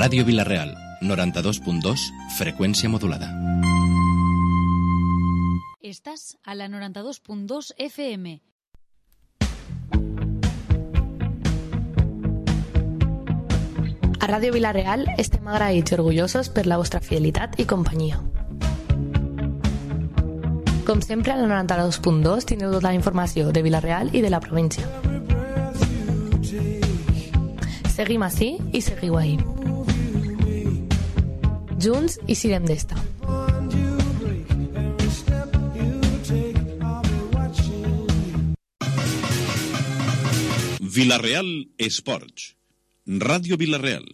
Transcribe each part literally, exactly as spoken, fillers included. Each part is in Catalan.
Ràdio Vila-real, noranta-dos punt dos, freqüència modulada. Estàs a la noranta-dos punt dos F M. A Ràdio Vila-real estem agraïts i orgullosos per la vostra fidelitat i companyia. Com sempre, a la noranta-dos punt dos teniu tota la informació de Vila-real i de la província. Seguim ací i seguiu ahí. Junts i sirem d'esta. Vila-real Esports. Radio Vila-real.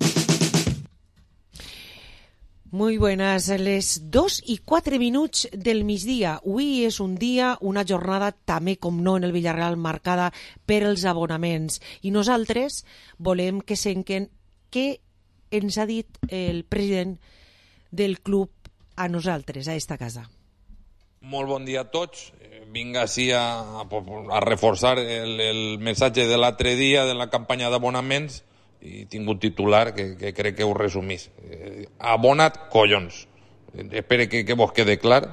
Muy buenas, les dos i quatre minuts del migdia. Avui és un dia, una jornada també, com no, en el Villarreal marcada per els abonaments. I nosaltres volem que senquen què ens ha dit el president del club a nosaltres, a esta casa. Molt bon dia a tots. Vinc així a, a reforçar el, el missatge de l'altre dia de la campanya d'abonaments i tinc un titular que, que crec que ho resumís. Eh, abona't, collons. Espero que, que vos quede clar.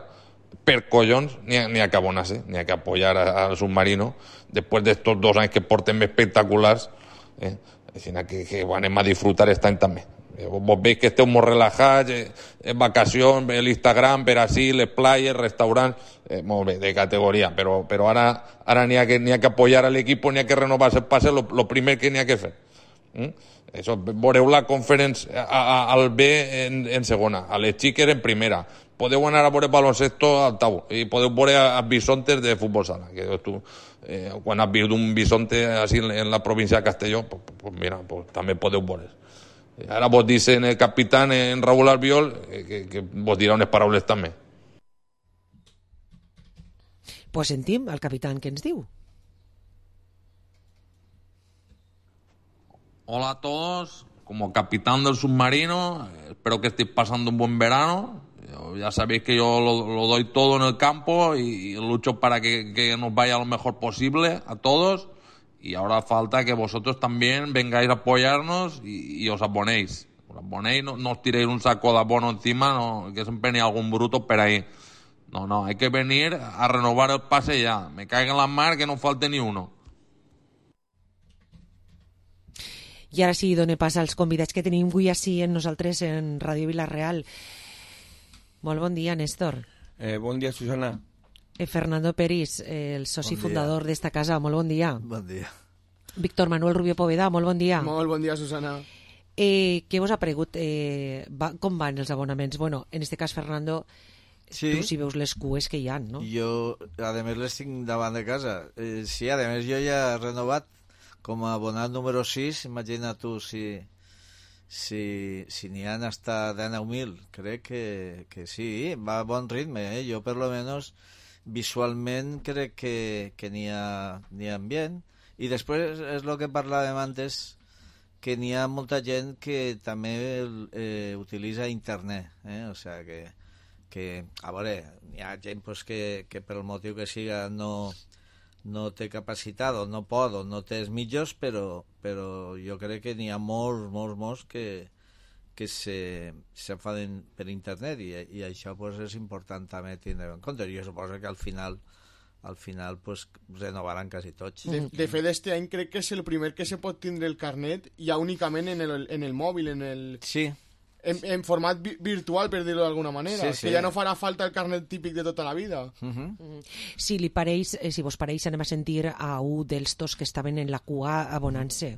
Per collons n'hi ha, n'hi ha que abonar-se, n'hi ha que apoyar al submarino després d'estos dos anys que portem espectaculars. Eh? Així que, que bueno, anem a disfrutar aquest any també. Eh, vos veig que esteu molt relajats, eh, en vacacions, l'Instagram, per així, les playes, restaurants, eh, molt bé, de categoria, però, però ara, ara n'hi ha que, n'hi ha que apoyar a l'equip, n'hi ha que renovar el passe, lo, lo primer que n'hi ha que fer. Mm? Això, veureu la conference a, a, al B en, en segona, a les xiques en primera, podeu anar a veure baloncesto al Tau i podeu veure a bisontes de futbol sala, que tu, eh, quan has vist un bisonte així en, en la província de Castelló, pues, pues mira, pues, també podeu veure. Ara vos dicen el capitán en Raúl Albiol eh, que, que vos dirà unes paraules també. Pues sentim el capitán que ens diu. Hola a todos, como capitán del submarino, espero que estéis pasando un buen verano. Ya sabéis que yo lo, lo doy todo en el campo y, y lucho para que, que nos vaya lo mejor posible a todos. Y ahora falta que vosotros también vengáis a apoyarnos y, y os abonéis. Os abonéis, no, no os tiréis un saco de abono encima, no, que siempre ni algún bruto por ahí. No, no, hay que venir a renovar el pase ya. Me caiga en la mar que no falte ni uno. I ara sí, done pas als convidats que tenim avui així en nosaltres en Ràdio Vila-real. Molt bon dia, Néstor. Eh, bon dia, Susana. Eh, Fernando Peris, eh, el soci bon fundador d'esta casa, molt bon dia. Bon dia. Víctor Manuel Rubio Poveda, molt bon dia. Molt bon dia, Susana. Eh, què vos ha paregut? Eh, va, com van els abonaments? Bueno, en este cas, Fernando, sí. Tu si veus les cues que hi ha, no? Jo, a més, les tinc davant de casa. Eh, sí, a més, jo ja he renovat com a abonat número sis, imagina tu si, si, si n'hi han hasta dinou mil, crec que, que sí, va a bon ritme, eh? Jo per lo menos visualment crec que, que n'hi ha, n'hi ha ambient, i després és el que parlàvem antes, que n'hi ha molta gent que també eh, utilitza internet, eh? O sea que, que a veure, n'hi ha gent pues, que, que per el motiu que siga no... no té capacitat o no pot o no té els mitjos, però, però jo crec que n'hi ha molts, molts, molts que, que se, se fan per internet i, i això pues, és important també tindre en compte. Jo suposo que al final al final pues, renovaran quasi tots. De, de fet, este any crec que és el primer que se pot tindre el carnet ja únicament en el, en el mòbil, en el... Sí. En, en format vi virtual, per dir-ho d'alguna manera, sí, sí. Que ja no farà falta el carnet típic de tota la vida. Uh -huh. Si li pareix, eh, si vos pareix, anem a sentir a un dels dos que estaven en la cua abonant-se.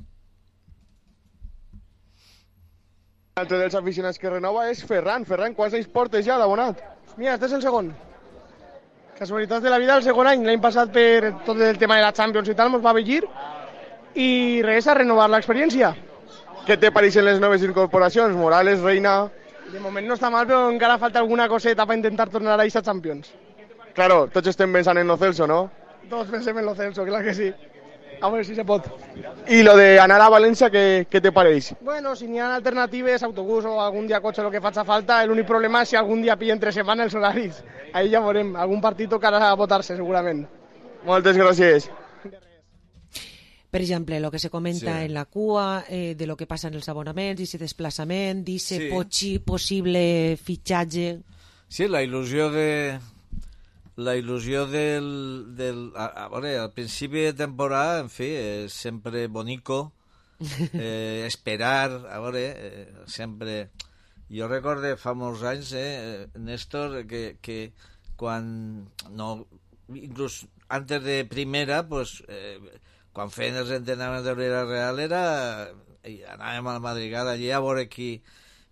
L'altre dels aficionats que renova és Ferran. Ferran, quants anys portes ja d'abonat? Mira, este és el segon. Casualitats de la vida, el segon any. L'any passat, per tot el tema de la Champions i tal, mos va vellir i res, a renovar l'experiència. Què te pareixen les noves incorporacions? Morales, Reina... De moment no està mal, però encara falta alguna coseta per intentar tornar a aquesta Champions. Claro, tots estem pensant en Lo Celso, ¿no? Tots pensem en Lo Celso, clar que sí. A veure si se pot. I lo de anar a València, què, què te pareix? Bueno, si n'hi ha alternatives, autobús o algun dia cotxe, el que faci falta, l'únic problema és si algun dia pilla entre setmana els horaris. Ahí ja veurem, algun partit tocarà a votar-se, segurament. Moltes gràcies. Per exemple, el que se comenta Sí. en la cua, eh, de lo que passa en els abonaments, i ese desplaçament, d'ese Sí. pochi- possible fitxatge. Sí, la il·lusió de... La il·lusió del... del a, a veure, al principi de temporada, en fi, és sempre bonico, eh, esperar, a veure, eh, sempre... Jo recorde fa molts anys, eh, Néstor, que, que quan... No, inclús antes de primera, pues, eh, quan feien els entrenaments de Villarreal era... i anàvem a la madrigada allí a veure qui,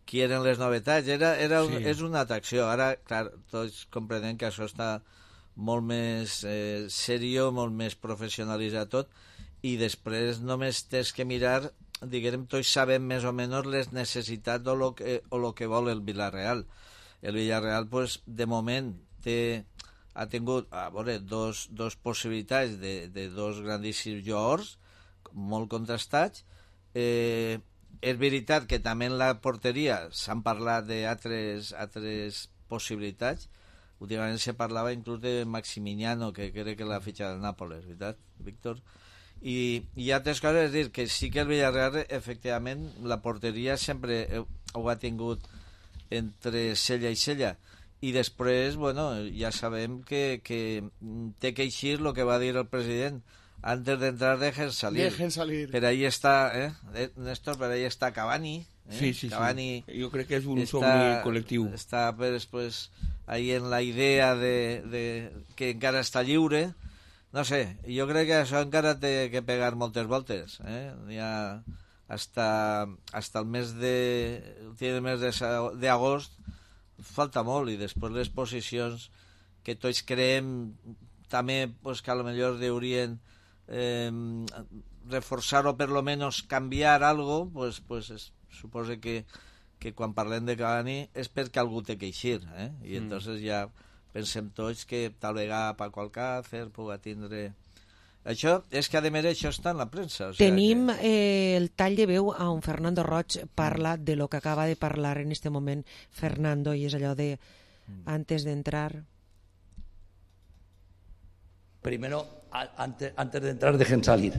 qui eren les novetats. Era, era un, Sí. És una atracció. Ara, clar, tots comprenen que això està molt més eh, serio, molt més professionalitzat tot, i després només tens que mirar, diguem, tots sabem més o menys les necessitats o lo que, o lo que vol el Villarreal. El Villarreal, pues, de moment, té, ha tingut a veure, dos, dos possibilitats de, de dos grandíssims jugadors, molt contrastats. Eh, és veritat que també en la porteria s'han parlat d'altres altres possibilitats. Últimament se parlava inclús de Maximiano, que crec que l'ha fitxat el Nàpoles, veritat, Víctor? I, i altres coses, és dir, que sí que el Villarreal, efectivament, la porteria sempre ho ha tingut entre cella i cella. I després, bueno, ja sabem que, que té que eixir el que va dir el president. Antes de entrar dejen salir. Dejen salir. Per ahí està, eh, Néstor, per ahí està Cavani. Eh? Sí, sí, Cavani sí. Jo crec que és un està, somni col·lectiu. Està després ahí en la idea de, de que encara està lliure. No sé, jo crec que això encara té que pegar moltes voltes. Eh? Ja hasta, hasta el mes de el mes d'agost falta molt, i després les posicions que tots creem també pues, que a lo millor deurien eh, reforçar o per lo menos canviar algo, pues, pues es, suposo que, que quan parlem de Cavani és perquè algú té que eixir, eh? I mm. entonces ja pensem tots que tal vegada Paco Alcácer puga tindre... Això és que a més això està en la premsa. O sea Tenim que... eh, el tall de veu on Fernando Roig parla de lo que acaba de parlar en este moment Fernando, i és allò de antes de entrar... Primero, a, antes, antes de entrar, dejen salir.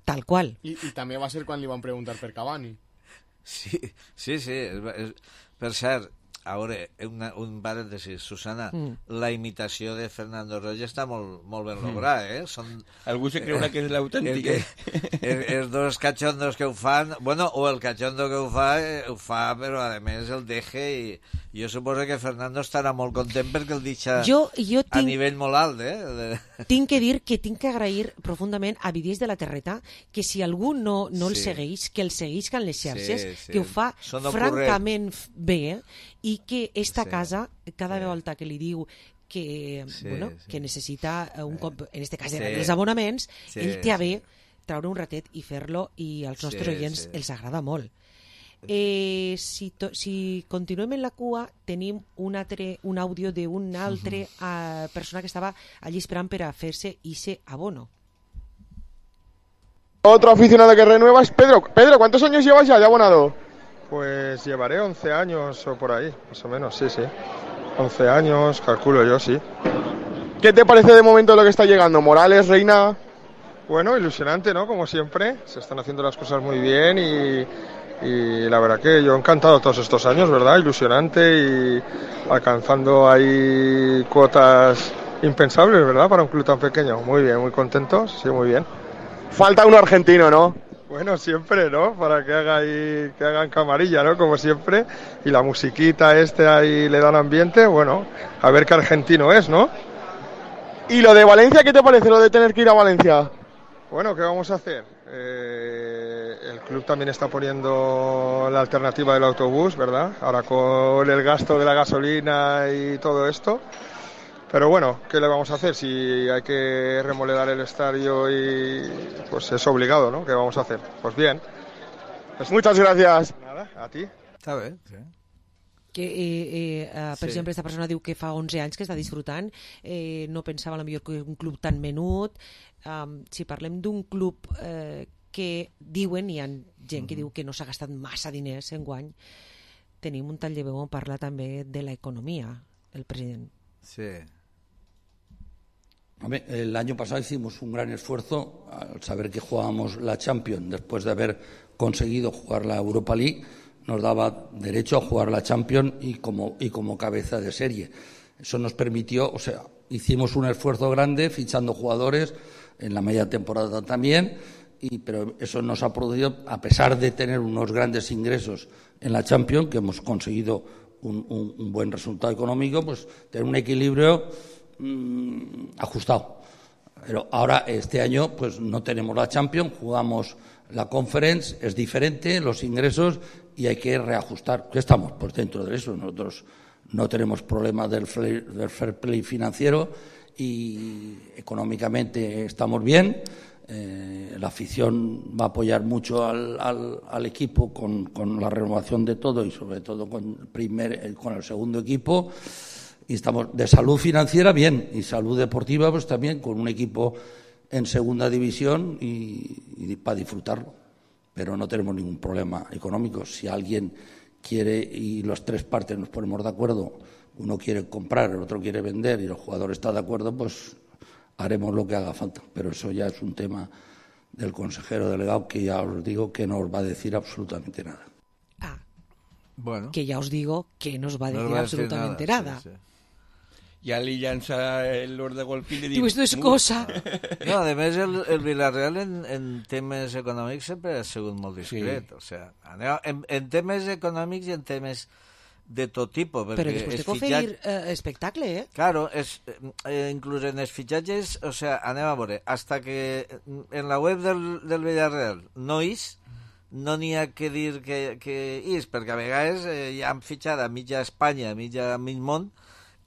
Tal qual. I, i també va ser quan li van preguntar per Cavani. Sí, sí, sí. És, és, per cert, a veure, una, un parèntesis, Susana, mm. la imitació de Fernando Roig està molt, molt ben lograda, eh? Són, Algú se creurà eh, que és l'autèntic. Els, els dos cachondos que ho fan, bueno, o el cachondo que ho fa, eh, ho fa, però a més el deje, i jo suposo que Fernando estarà molt content perquè el deixa jo, jo tinc, a nivell molt alt, eh? De... Tinc que dir que tinc que agrair profundament a Vidies de la Terreta que si algú no, no el Sí. segueix, que el segueix en les xarxes, Sí, sí. que ho fa Són francament bé, eh? I que esta Sí. casa, cada Sí. volta que li diu que, Sí, bueno, sí. que necessita un cop, en este cas Sí. els abonaments, Sí, ell té a bé sí. treure un ratet i fer-lo, i als nostres Sí, oients sí. els agrada molt. Eh, si, to, si continuem en la cua, tenim un, altre, un àudio d'un altre uh, persona que estava allí esperant per a fer-se ese abono. Otro aficionado que renueva es Pedro. Pedro, ¿cuántos años llevas ya de abonado? Pues llevaré once años o por ahí, más o menos, sí, sí. once años, calculo yo, sí. ¿Qué te parece de momento lo que está llegando? Morales, Reina... Bueno, ilusionante, ¿no? Como siempre, se están haciendo las cosas muy bien y, y la verdad que yo encantado todos estos años, ¿verdad? Ilusionante y alcanzando ahí cuotas impensables, ¿verdad? Para un club tan pequeño. Muy bien, muy contentos, sí, muy bien. Falta un argentino, ¿no? Bueno, siempre, ¿no? Para que haga ahí, que hagan camarilla, ¿no? Como siempre. Y la musiquita este ahí le dan ambiente, bueno, a ver qué argentino es, ¿no? ¿Y lo de Valencia, qué te parece, lo de tener que ir a Valencia? Bueno, ¿qué vamos a hacer? Eh, el club también está poniendo la alternativa del autobús, ¿verdad? Ahora con el gasto de la gasolina y todo esto. Pero bueno, ¿qué le vamos a hacer? Si hay que remodelar el estadio y pues es obligado, ¿no? ¿Qué vamos a hacer? Pues bien. Pues muchas gracias. Nada, a ti. Està bé, sí. Que, eh, eh, per Sí. exemple, aquesta persona diu que fa onze anys que està disfrutant, eh, no pensava a lo millor que un club tan menut. Um, si parlem d'un club eh, que diuen, hi ha gent que diu que no s'ha gastat massa diners enguany, tenim un tall de veu on parla també de l'economia, el president. Sí. El año pasado hicimos un gran esfuerzo al saber que jugábamos la Champions después de haber conseguido jugar la Europa League. Nos daba derecho a jugar la Champions y como, y como cabeza de serie. Eso nos permitió, o sea, hicimos un esfuerzo grande fichando jugadores en la media temporada también, y, pero eso nos ha producido, a pesar de tener unos grandes ingresos en la Champions, que hemos conseguido un, un, un buen resultado económico, pues tener un equilibrio mmm, ajustado. Pero ahora, este año, pues no tenemos la Champions, jugamos la Conference, es diferente los ingresos y hay que reajustar. ¿Qué estamos? Pues dentro de eso. Nosotros no tenemos problemas del fair, del fair play financiero y económicamente estamos bien. Eh, la afición va a apoyar mucho al, al, al equipo con, con la renovación de todo y sobre todo con el, primer, con el segundo equipo. Y estamos de salud financiera bien y salud deportiva pues también con un equipo en segunda división y, y para disfrutarlo. Pero no tenemos ningún problema económico. Si alguien quiere y las tres partes nos ponemos de acuerdo, uno quiere comprar, el otro quiere vender y el jugador está de acuerdo, pues haremos lo que haga falta. Pero eso ya es un tema del consejero delegado que ya os digo que no os va a decir absolutamente nada. Ah, bueno. Que ya os digo que no os va a decir no va absolutamente a decir nada. nada. Sí, sí. Ja li llança l'or de golf i li diu... Diu, esto es cosa. No, a més, el, el Villarreal en, en temes econòmics sempre ha sigut molt discret. Sí. O sea, aneu, en, en temes econòmics i en temes de tot tipus. Però després de conferir eh, espectacle, eh? Claro, es, eh, inclús en els fitxatges, o sea, aneu a veure, hasta que en la web del, del Villarreal no és, no n'hi ha que dir que, que és, perquè a vegades eh, ja han fitxat a mitja Espanya, a mitja mig món,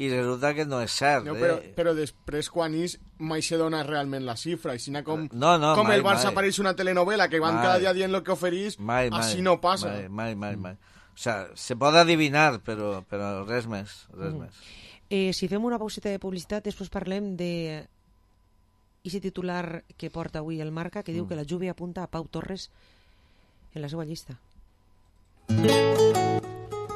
i resulta que no és cert. No, però, eh? però després, quan és, mai se dona realment la xifra. I si no, com, no, no, com mai, el Barça mai. apareix una telenovela que van mai. cada dia dient el que oferís, mai, mai, així no passa. Mai, mai, mai, mai. O sea, se pot adivinar, però, però res més, res mm. més. Eh, si fem una pauseta de publicitat, després parlem de ese titular que porta avui el Marca, que diu mm. que la Juve apunta a Pau Torres en la seva llista.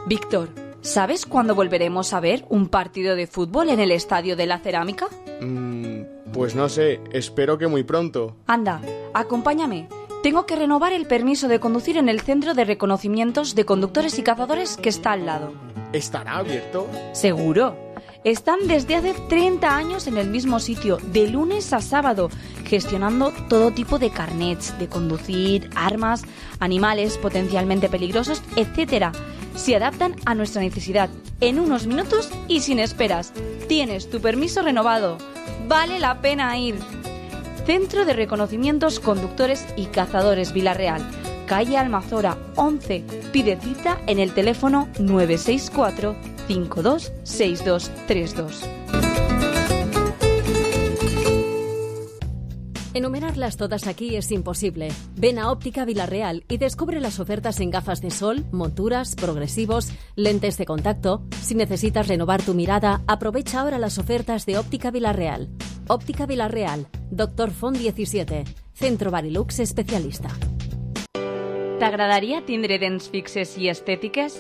Víctor, ¿sabes cuándo volveremos a ver un partido de fútbol en el Estadio de la Cerámica? Mm, pues no sé, espero que muy pronto. Anda, acompáñame. Tengo que renovar el permiso de conducir en el Centro de Reconocimientos de Conductores y Cazadores que está al lado. ¿Estará abierto? Seguro. Están desde hace treinta años en el mismo sitio, de lunes a sábado, gestionando todo tipo de carnets de conducir, armas, animales potencialmente peligrosos, etcétera. Se adaptan a nuestra necesidad en unos minutos y sin esperas. Tienes tu permiso renovado. Vale la pena ir. Centro de Reconocimientos Conductores y Cazadores Villarreal, calle Almazora once. Pide cita en el teléfono nueve seis cuatro, cinco dos seis dos tres dos. Enumerarlas todas aquí es imposible. Ven a Óptica Villarreal y descubre las ofertas en gafas de sol, monturas, progresivos, lentes de contacto. Si necesitas renovar tu mirada, aprovecha ahora las ofertas de Óptica Villarreal. Óptica Villarreal, Doctor Font diecisiete, Centro Barilux especialista. T'agradaria tindre dents fixes i estètiques?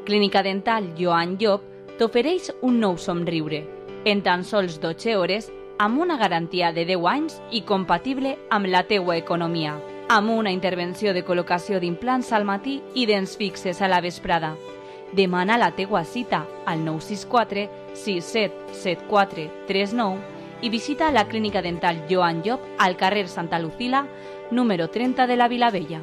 Clínica Dental Joan Llop t'ofereix un nou somriure, en tan sols dotze hores, amb una garantia de deu anys i compatible amb la teua economia, amb una intervenció de col·locació d'implants al matí i dents fixes a la vesprada. Demana la teua cita al nou sis quatre, sis set set quatre tres nou i visita la Clínica Dental Joan Llop al carrer Santa Lucila, número treinta de la Vilavella.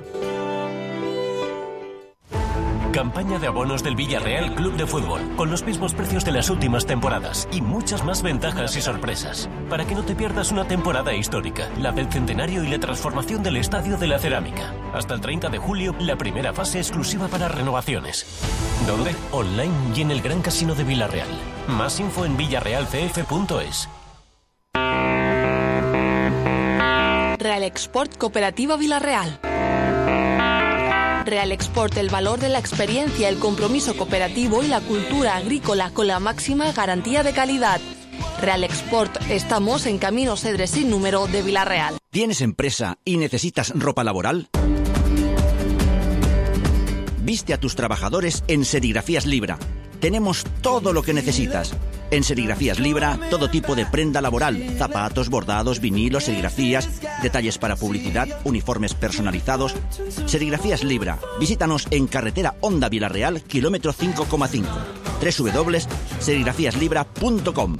Campaña de abonos del Villarreal Club de Fútbol, con los mismos precios de las últimas temporadas y muchas más ventajas y sorpresas. Para que no te pierdas una temporada histórica, la del centenario y la transformación del Estadio de la Cerámica. Hasta el treinta de julio, la primera fase exclusiva para renovaciones. ¿Dónde? Online y en el Gran Casino de Villarreal. Más info en villarreal c f punto es. Real Export Cooperativa Villarreal. Real Export, el valor de la experiencia, el compromiso cooperativo y la cultura agrícola con la máxima garantía de calidad. Real Export, estamos en Camino Cedres sin número de Villarreal. ¿Tienes empresa y necesitas ropa laboral? Viste a tus trabajadores en Serigrafías Libra. Tenemos todo lo que necesitas. En Serigrafías Libra, todo tipo de prenda laboral, zapatos, bordados, vinilos, serigrafías, detalles para publicidad, uniformes personalizados. Serigrafías Libra. Visítanos en carretera Honda Vilarreal, kilómetro cinco coma cinco. doble u doble u doble u punto serigrafías libra punto com.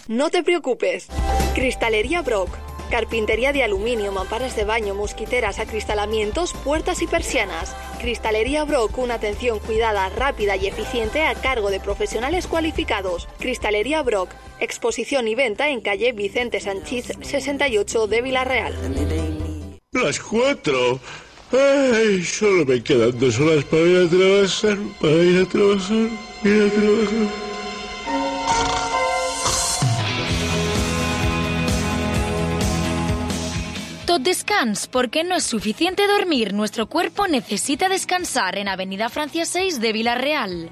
No te preocupes. Cristalería Brock. Carpintería de aluminio, mamparas de baño, mosquiteras, acristalamientos, puertas y persianas. Cristalería Brock, una atención cuidada, rápida y eficiente a cargo de profesionales cualificados. Cristalería Brock, exposición y venta en calle Vicente Sanchís sesenta y ocho de Vilarreal. Las cuatro. Ay, solo me quedan dos horas para ir a trabajar, para ir a trabajar, ir a trabajar. Tot descans, porque no es suficiente dormir. Nuestro cuerpo necesita descansar en Avenida Francia seis de Vilarreal.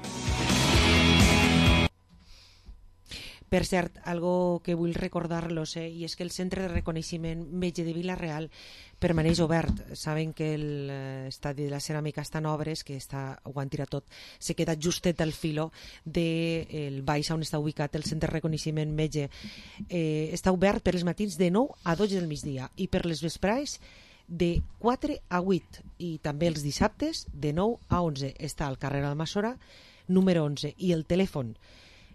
Per cert, algo que vull recordar-los, eh, i és que el Centre de Reconeixement Metge de Vilarreal permaneix obert. Saben que l'estadi de la ceràmica està en obres, que està, ho han tirat tot, se queda justet al filo del baix on està ubicat el Centre de Reconeixement Metge. Eh, està obert per els matins de nou a dotze del migdia i per les vesprades de quatre a vuit, i també els dissabtes de nou a onze. Està al carrer Almassora, número onze, i el telèfon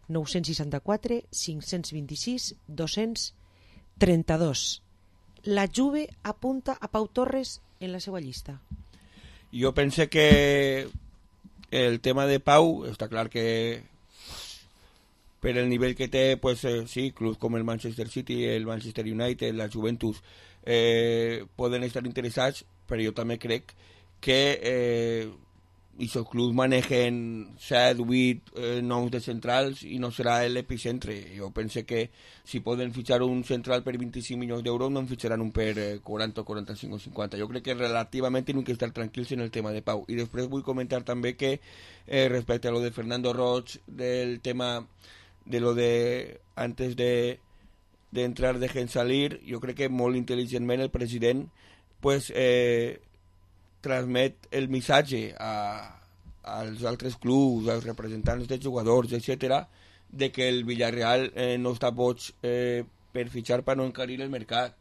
nou seixanta-quatre, cinc vint-i-sis, dos-cents trenta-dos. La Juve apunta a Pau Torres en la seva llista. Jo pense que el tema de Pau, està clar que per el nivell que té, pues, eh, sí, clubs com el Manchester City, el Manchester United, la Juventus, eh, poden estar interessats, però jo també crec que eh, i els clubs manegen set, vuit eh, noms de centrals i no serà l'epicentre. Jo penso que si poden fitxar un central per vint-i-cinc milions d'euros no en fitxaran un per eh, quaranta, quaranta-cinc o cinquanta. Jo crec que relativament tenen que estar tranquils en el tema de Pau. I després vull comentar també que eh, respecte a lo de Fernando Roig, del tema de lo de antes de, de entrar dejen salir, jo crec que molt intel·ligentment el president pues eh, transmet el missatge a, als altres clubs, als representants de jugadors, etcètera, de que el Villarreal eh, no està boig eh, per fitxar per no encarir el mercat,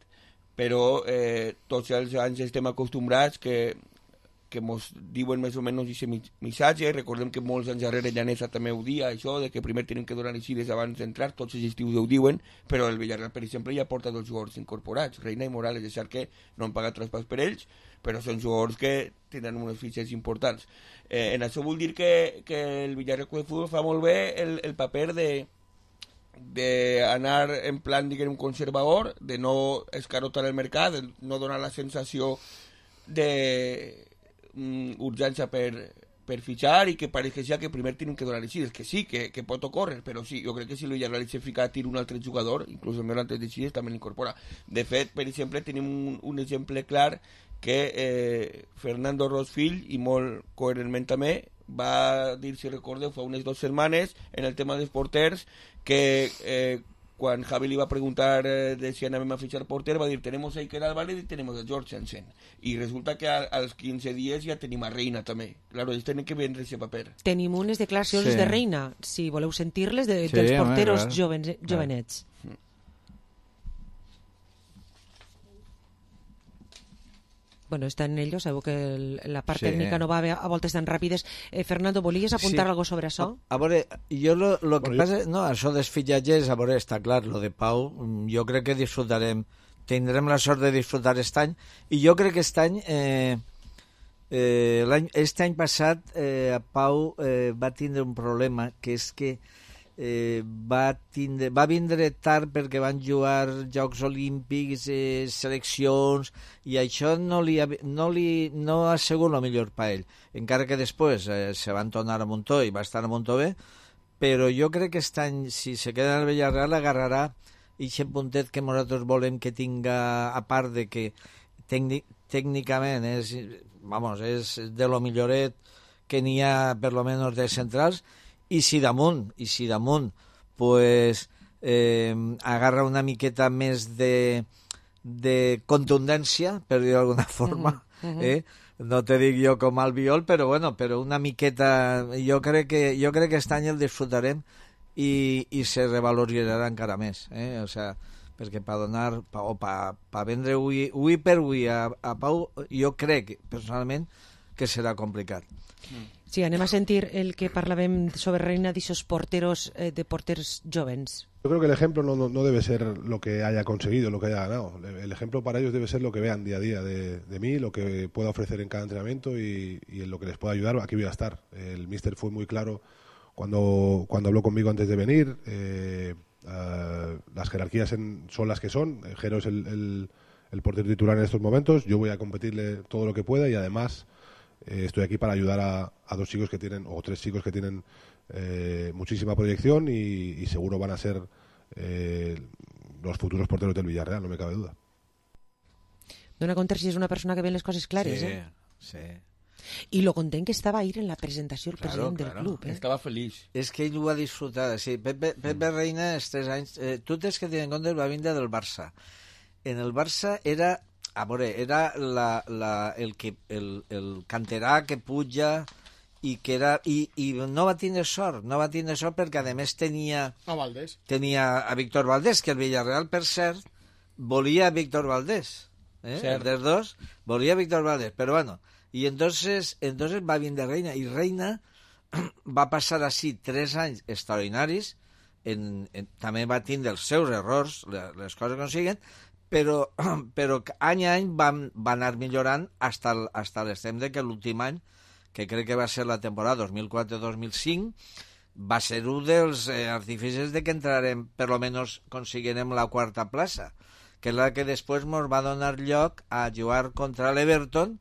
però eh, tots els anys estem acostumbrats que que mos diuen més o menys aquest missatge. Recordem que molts anys darrere Llanesa també ho dia, això, de que primer tenen que donar eixides abans d'entrar, tots els estius ho diuen, però el Villarreal, per exemple, ja porta dos jugadors incorporats, Reina i Morales, és cert que no han pagat traspàs per ells, però són jugadors que tenen unes fitxes importants. Eh, en això vull dir que, que el Villarreal Club de Futbol fa molt bé el, el paper de d'anar en plan, diguem, conservador, de no escarotar el mercat, de no donar la sensació de urgència per, per fitxar i que pareix que ja que primer tenen que donar eixides, que sí, que, que pot ocórrer, però sí, jo crec que si el Villarreal se fica a tir un altre jugador, inclús el meu altre eixides també l'incorpora. De fet, per exemple, tenim un, un exemple clar que eh, Fernando Roig fill, i molt coherentment també, va dir, si recordeu, fa unes dues setmanes, en el tema dels porters, que eh, quan Javi li va preguntar eh, de si anàvem a fitxar porter, va dir, tenemos a Iker Álvarez y tenemos a George Hansen. I resulta que a, als quinze dies ja tenim a Reina també. Claro, ells tenen que vendre aquest paper. Tenim unes declaracions Sí. de Reina, si voleu sentir-les, de, Sí, dels home, porteros clar. joven, jovenets. Bueno, está en ello, sabeu que el, la part Sí. tècnica no va a, a voltes tan ràpides. Eh, Fernando, volies apuntar Sí. algo sobre això? A, a veure, jo lo, lo que Vale. passa... No, això dels fitxatges, a veure, està clar, lo de Pau, mm, jo crec que disfrutarem, tindrem la sort de disfrutar aquest any, i jo crec que aquest any, eh, eh, l'any, aquest any passat, eh, a Pau eh, va tindre un problema, que és que eh, va, tindre, va vindre tard perquè van jugar Jocs Olímpics, eh, seleccions, i això no li, ha- no li no ha sigut el millor per ell, encara que després eh, se van tornar a Montó i va estar a Montó bé, però jo crec que aquest any, si se queda en el Villarreal, agarrarà aquest puntet que nosaltres volem que tinga, a part de que tècnic, tècnicament és, vamos, és de lo milloret que n'hi ha per lo menos de centrals, i si damunt, i si damunt pues, eh, agarra una miqueta més de, de contundència, per dir d'alguna forma, Mhm, mhm. eh? no te dic jo com Albiol, però bueno, però una miqueta, jo crec que jo crec que aquest any el disfrutarem i, i se revaloritzarà encara més, eh? O sea, perquè per donar, pa, o per pa vendre ui, ui per ui a, a Pau, jo crec, personalment, que serà complicat. Sí, anem a sentir el que parlàvem sobre Reina d'aixòs porteros, eh, de porters jovens. Yo creo que el ejemplo no, no, no debe ser lo que haya conseguido, lo que haya ganado. El ejemplo para ellos debe ser lo que vean día a día de, de mí, lo que pueda ofrecer en cada entrenamiento y, y en lo que les pueda ayudar. Aquí voy a estar. El míster fue muy claro cuando, cuando habló conmigo antes de venir. Eh, uh, las jerarquías en, son las que son. Jero es el, el, el portero titular en estos momentos. Yo voy a competirle todo lo que pueda y además eh, estoy aquí para ayudar a, a dos chicos que tienen, o tres chicos que tienen Eh, muchísima proyección y, y seguro van a ser eh, los futuros porteros del Villarreal, no me cabe duda. Dona compte si és una persona que ve les coses clares, sí, eh? Sí. I lo content que estava ahir en la presentació el Claro, president claro. del club, eh? Estava feliç. És que ell ho ha disfrutat, sí. Pepe, Pepe Reina, els tres anys... Eh, tu tens que tenir en compte, va vindre del Barça. En el Barça era... A veure, era la, la, el, que, el, el canterà que puja... i que era i, i no va tindre sort, no va tindre sort perquè a més tenia a Valdés. Tenia a Víctor Valdés, que el Villarreal, per cert, volia a Víctor Valdés, eh? dels dos, volia a Víctor Valdés, però bueno, i entonces, entonces va vindre Reina, i Reina va passar així tres anys extraordinaris, en, en, també va tindre els seus errors, les coses que no siguen, però, però any a any va, va anar millorant hasta, hasta l'extrem de que l'últim any, que crec que va ser la temporada dos mil quatre dos mil cinc, va ser un dels eh, artificis de que entrarem, per lo menos consiguirem la quarta plaça, que és la que després ens va donar lloc a jugar contra l'Everton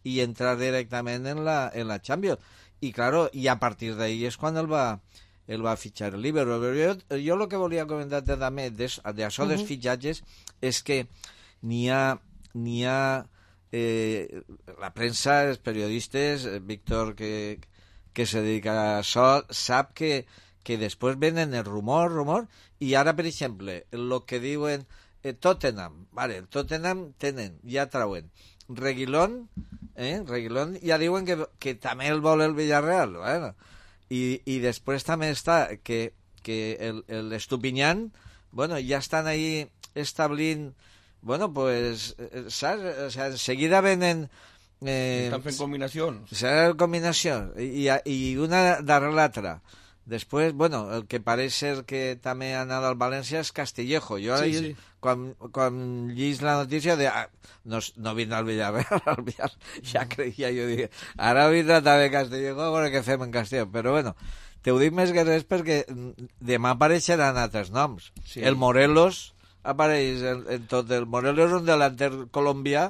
i entrar directament en la, en la Champions. I, claro, i a partir d'ahí és quan el va, el va fitxar el Liverpool. Jo, jo el que volia comentar també d'això uh-huh. dels fitxatges és que n'hi ha... N'hi ha Eh, la premsa, els periodistes, Víctor, que, que se dedica a això, sap que, que després venen el rumor, rumor, i ara, per exemple, el que diuen eh, Tottenham, vale, el Tottenham tenen, ja trauen, Reguilón, eh, Reguilón, ja diuen que, que també el vol el Villarreal, bueno, i, i després també està que, que el, el Estupiñán, bueno, ja estan ahí establint. Bueno, pues, saps? O sea, enseguida venen... Eh, Estan fent combinacions. Serà combinació, i, i una darrere l'altra. Després, bueno, el que pareix ser que també ha anat al València és Castillejo. Jo sí, ahir, sí. quan, quan llis la notícia, de, ah, no, no vindrà al Villarreal, al Villarreal, ja creia, jo dic, ara vindrà també Castillejo, a veure què fem en Castillejo. Però bueno, te ho dic més que res perquè demà apareixeran altres noms. Sí. El Morelos... apareix en, en tot el... Morelos és un delanter colombià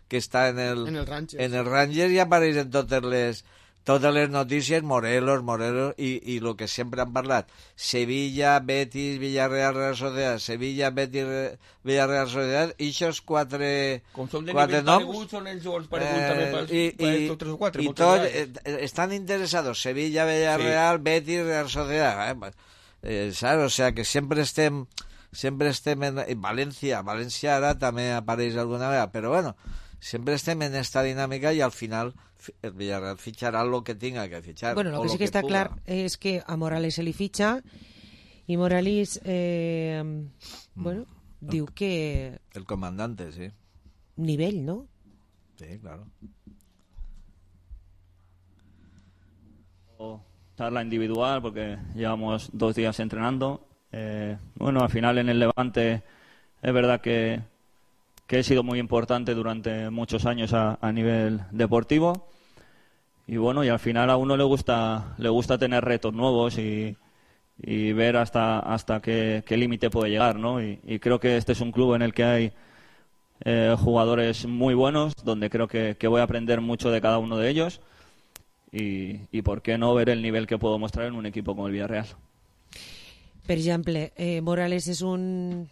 que està en el, en el Rangers, en el Rangers i apareix en totes les, totes les notícies, Morelos, Morelos, i, i el que sempre han parlat, Sevilla, Betis, Villarreal, Real Sociedad, Sevilla, Betis, Villarreal, Sociedad, i aquests quatre, com som de quatre nivell noms, paregut, són els jugadors pareguts eh, també per, i, per i, estos tres o quatre. I tots eh, estan interessats, Sevilla, Villarreal, sí. Betis, Real Sociedad, eh? Eh, saps? O sea, que sempre estem... sempre estem en, en València, València ara també apareix alguna vegada, però bueno, sempre estem en esta dinàmica i al final el Villarreal fitxarà el que tinga que fitxar. Bueno, lo que sí que, que està puga. Clar és que a Morales se li fitxa i Morales eh, mm. bueno, mm. diu que... El comandante, sí. Nivell, ¿no? Sí, claro. Charla individual porque llevamos dos días entrenando. Eh, bueno, al final en el Levante es verdad que, que he sido muy importante durante muchos años a, a nivel deportivo y bueno, y al final a uno le gusta le gusta tener retos nuevos y, y ver hasta hasta qué, qué límite puede llegar, ¿no? Y, y creo que este es un club en el que hay eh, jugadores muy buenos, donde creo que, que voy a aprender mucho de cada uno de ellos y, y por qué no ver el nivel que puedo mostrar en un equipo como el Villarreal. Per exemple, eh, Morales és un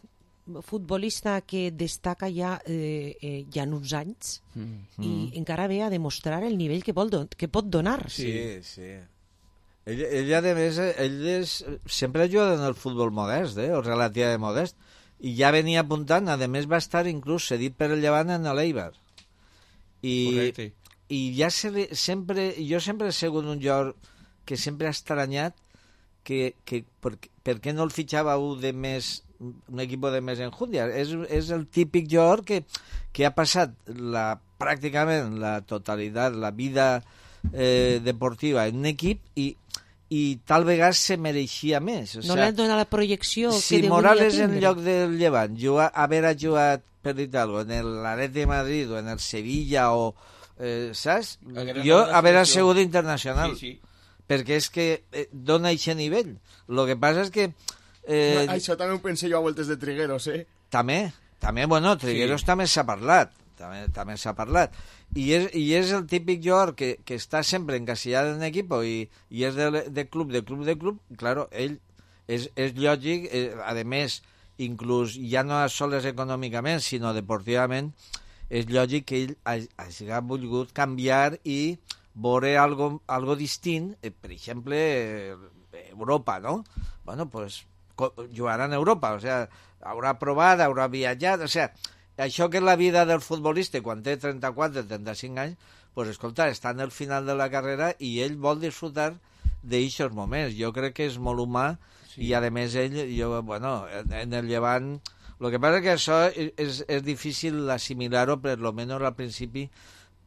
futbolista que destaca ja, eh, eh, ja en uns anys mm. i mm. encara ve a demostrar el nivell que, vol don que pot donar. Sí, sí. Ell, ell a més, ell és, sempre ha jugat en el futbol modest, eh, o relativament modest, i ja venia apuntant, a més va estar inclús cedit per el Llevant en l'Eibar. I, i ja se li, sempre, jo sempre he sigut un jugador que sempre ha estranyat que, que per, per què no el fitxava un de més, un equip de més enjundia. És, és el típic jugador que, que ha passat la, pràcticament la totalitat, la vida eh, deportiva en un equip i, i tal vegada se mereixia més. O no sea, li han donat la projecció si que Morales tindre. En lloc del Llevant jugar, haver jugat, per dir alguna cosa, en l'Atleti de Madrid o en el Sevilla o eh, saps? Jo haver sigut internacional. Sí, sí. Perquè és que eh, dona aquest nivell. El que passa és que... Eh, Això també ho pensé jo a voltes de Trigueros, eh? També, també, bueno, Trigueros sí. també s'ha parlat. També, també s'ha parlat. I és, i és el típic jugador que, que està sempre encasillat en equip i, i és de, de club, de club, de club. Claro, ell és, és lògic, eh, a més, inclús ja no sols econòmicament, sinó deportivament, és lògic que ell hagi volgut canviar i veure algo, algo distint, eh, per exemple, eh, Europa, ¿no? Bueno, pues jugarà en Europa, o sea, haurà provat, haurà viatjat, o sea, això que és la vida del futbolista quan té trenta-quatre, trenta-cinc anys, pues escolta, està en el final de la carrera i ell vol disfrutar d'aixòs moments. Jo crec que és molt humà sí. I a més ell, jo, bueno, en el Llevant, el que passa és que això és, és difícil assimilar-ho, per lo menos al principi,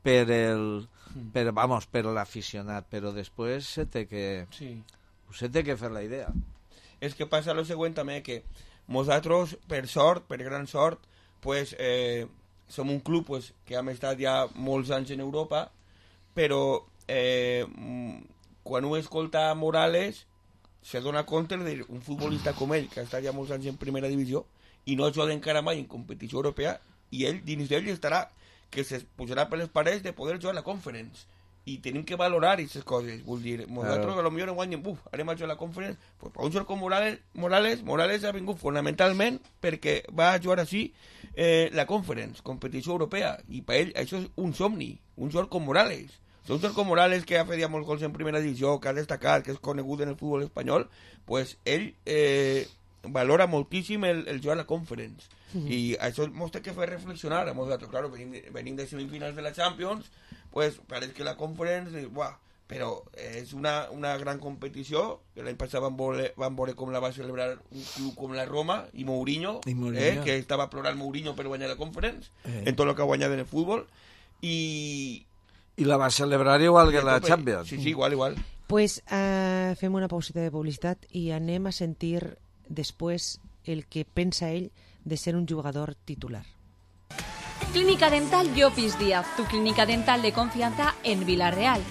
per el, per, vamos, per l'aficionat, però després se té que, sí. se té que fer la idea. És que passa lo següent també, que nosaltres, per sort, per gran sort, pues, eh, som un club pues, que hem estat ja molts anys en Europa, però eh, quan ho escolta Morales se dona compte d'un futbolista com ell, que ha estat ja molts anys en primera divisió i no juga encara mai en competició europea, i ell, dins d'ell, estarà que se pujarà per les parets de poder jugar a la Conference. I tenim que valorar aquestes coses. Vull dir, nosaltres claro. A lo millor en guanyen, buf, anem a jugar a la Conference, pues, per un jugador com Morales, Morales, Morales ha vingut fonamentalment perquè va a jugar així eh, la Conference, competició europea, i per ell això és un somni, un jugador com Morales. Un jugador com Morales que ha fet ja molts gols en primera divisió, que ha destacat, que és conegut en el futbol espanyol, pues ell eh, valora moltíssim el, el jugar a la Conference. Mm-hmm. I això ens té que fer reflexionar a nosaltres. Claro, venim, venim de semifinals de la Champions, pues pareix que la Conference, buah, però és una, una gran competició, que l'any passat van veure, van veure com la va celebrar un club com la Roma i Mourinho, I Mourinho. Eh, que estava plorant Mourinho per guanyar la Conference, eh. en tot el que ha guanyat en el futbol, i... I la va celebrar igual que la Champions. Sí, sí, igual, igual. Pues uh, fem una pausita de publicitat i anem a sentir després el que pensa ell de ser un jugador titular. Clínica Dental Llopis Díaz, tu clínica dental de confianza en Villarreal.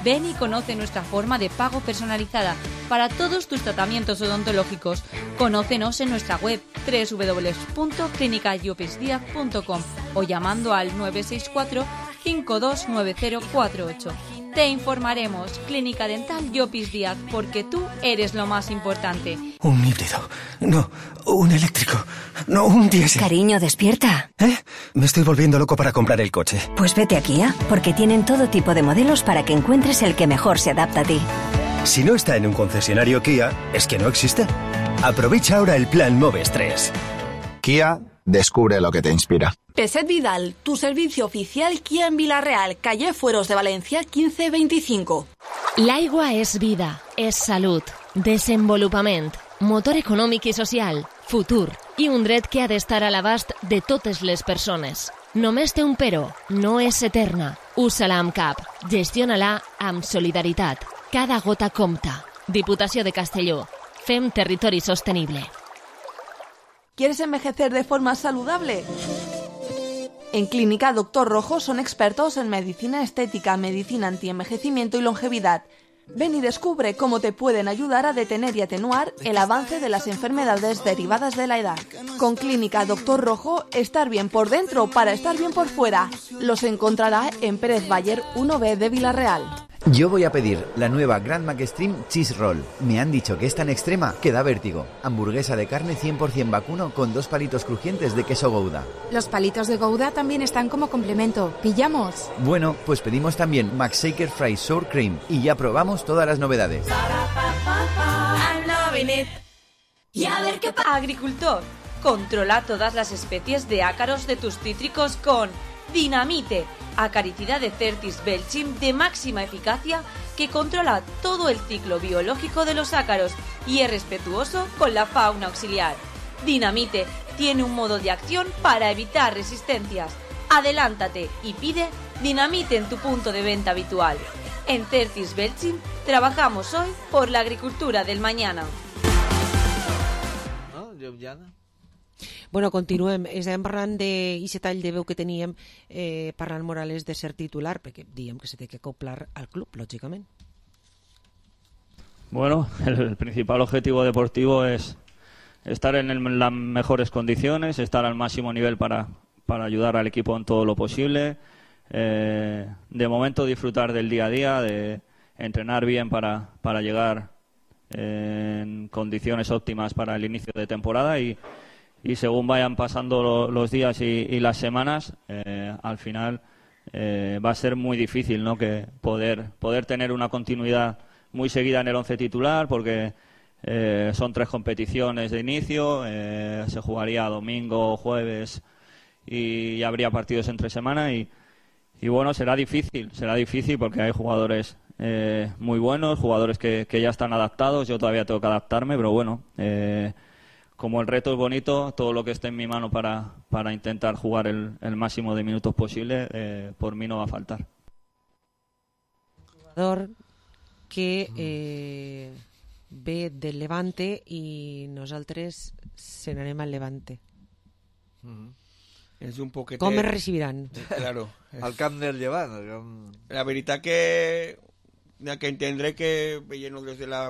Ven y conoce nuestra forma de pago personalizada para todos tus tratamientos odontológicos. Conócenos en nuestra web doble u doble u doble u punto clínica llopis díaz punto com o llamando al nueve seis cuatro, cinco dos nueve cero cuatro ocho. Te informaremos. Clínica Dental Llopis Díaz, porque tú eres lo más importante. Un híbrido. No, un eléctrico. No, un diésel. Cariño, despierta. ¿Eh? Me estoy volviendo loco para comprar el coche. Pues vete a Kia, porque tienen todo tipo de modelos para que encuentres el que mejor se adapta a ti. Si no está en un concesionario Kia, es que no existe. Aprovecha ahora el plan Moves tres. Kia, descubre lo que te inspira. Peset Vidal, tu servicio oficial Kia en Villarreal, calle Fueros de Valencia quinze veinticinco. L'aigua és vida, és salut, desenvolupament, motor econòmic i social, futur i un dret que ha d'estar a l'abast de totes les persones. Només té un però, no és eterna. Usa-la amb cap, gestiona-la amb solidaritat. Cada gota compta. Diputació de Castelló. Fem territori sostenible. ¿Quieres envejecer de forma saludable? En Clínica Doctor Rojo son expertos en medicina estética, medicina antienvejecimiento y longevidad. Ven y descubre cómo te pueden ayudar a detener y atenuar el avance de las enfermedades derivadas de la edad. Con Clínica Doctor Rojo, estar bien por dentro para estar bien por fuera. Los encontrará en Pérez Bayer uno B de Villarreal. Yo voy a pedir la nueva Grand Mac Extreme Cheese Roll. Me han dicho que es tan extrema que da vértigo. Hamburguesa de carne cien por ciento vacuno con dos palitos crujientes de queso Gouda. Los palitos de Gouda también están como complemento. ¿Pillamos? Bueno, pues pedimos también Mac Shaker Fry Sour Cream y ya probamos todas las novedades. Y a ver qué pasa. Agricultor, controla todas las especies de ácaros de tus cítricos con Dinamite, acaricida de Certis Belchim de máxima eficacia que controla todo el ciclo biológico de los ácaros y es respetuoso con la fauna auxiliar. Dinamite tiene un modo de acción para evitar resistencias. Adelántate y pide Dinamite en tu punto de venta habitual. En Certis Belchim trabajamos hoy por la agricultura del mañana. No, Ljubljana. Bueno, continuem. Estàvem parlant d'aquest tall de veu que teníem eh, parlant Morales de ser titular, perquè diem que se té que acoplar al club, lògicament. Bueno, el principal objetivo deportivo es estar en el, las mejores condiciones, estar al máximo nivel para, para ayudar al equipo en todo lo posible. Eh, de momento disfrutar del día a día, de entrenar bien para, para llegar eh, en condiciones óptimas para el inicio de temporada y, y según vayan pasando lo, los días y, y las semanas, eh, al final eh, va a ser muy difícil, ¿no?, que poder, poder tener una continuidad muy seguida en el once titular, porque eh, son tres competiciones de inicio, eh, se jugaría domingo, jueves y habría partidos entre semana y, y bueno, será difícil, será difícil porque hay jugadores eh, muy buenos, jugadores que, que ya están adaptados, yo todavía tengo que adaptarme, pero bueno, eh, como el reto es bonito, todo lo que esté en mi mano para, para intentar jugar el, el máximo de minutos posible, eh, por mí no va a faltar. Jugador que eh, ve del Levante i nosaltres se n'anem al Levante. Mm-hmm. És un poquetet... Com es recibiran? Claro. Al camp del Llevant. Camp... La veritat que hi ha que entendre que veient-ho des de la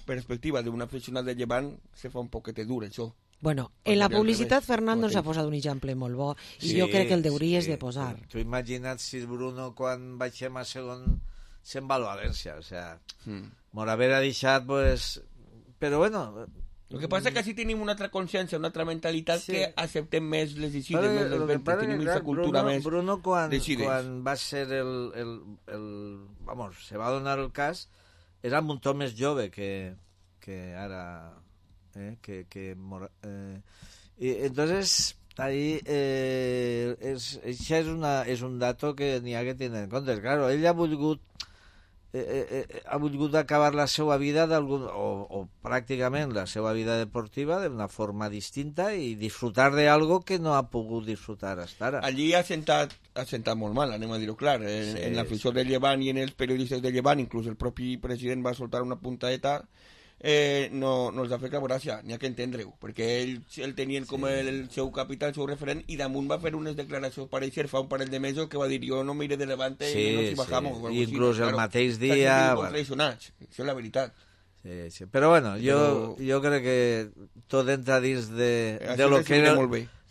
perspectiva d'un aficionat del Llevant se fa un poquetet dur, això. Bueno, en la publicitat Fernando ens ha posat un exemple molt bo i sí, jo crec que el deuries sí. de posar. Tu imagina't si Bruno quan baixem a segon se'n va al València, o sea, mm. m'ho haver deixat, pues... Però bueno... Lo que pasa es que así tenemos una otra conciencia, una otra mentalidad sí. que acepten més les decisions, més les ventes, tenim aquesta cultura Bruno, més Bruno quan, decides. quan va ser el, el, el... Vamos, se va donar el cas, era un muntó més jove que, que ara... Eh, que... que eh, y entonces... Ahí eh, és, això és, una, és un dato que n'hi ha que tenir en compte. Claro, ell ha volgut eh, eh, ha volgut acabar la seva vida d'algun, o, o pràcticament la seva vida deportiva d'una forma distinta i disfrutar d'algo que no ha pogut disfrutar hasta ara. Allí ha sentat, ha sentat molt mal, anem a dir-ho clar, en, sí, en l'afició sí. del Llevant i en els periodistes del Llevant, inclús el propi president va soltar una puntadeta. Eh, no, no els ha fet cap gràcia, n'hi ha que entendre-ho, perquè ell el tenien com sí. el, el seu capità, el seu referent, i damunt va fer unes declaracions pareixer fa un parell de mesos que va dir jo no mire de Levante sí, i no si bajamos. Sí. Inclús el claro, mateix dia... Bueno. Això és la veritat. Sí, sí. Però bueno, jo, Però... jo crec que tot entra dins de, de, de, lo que,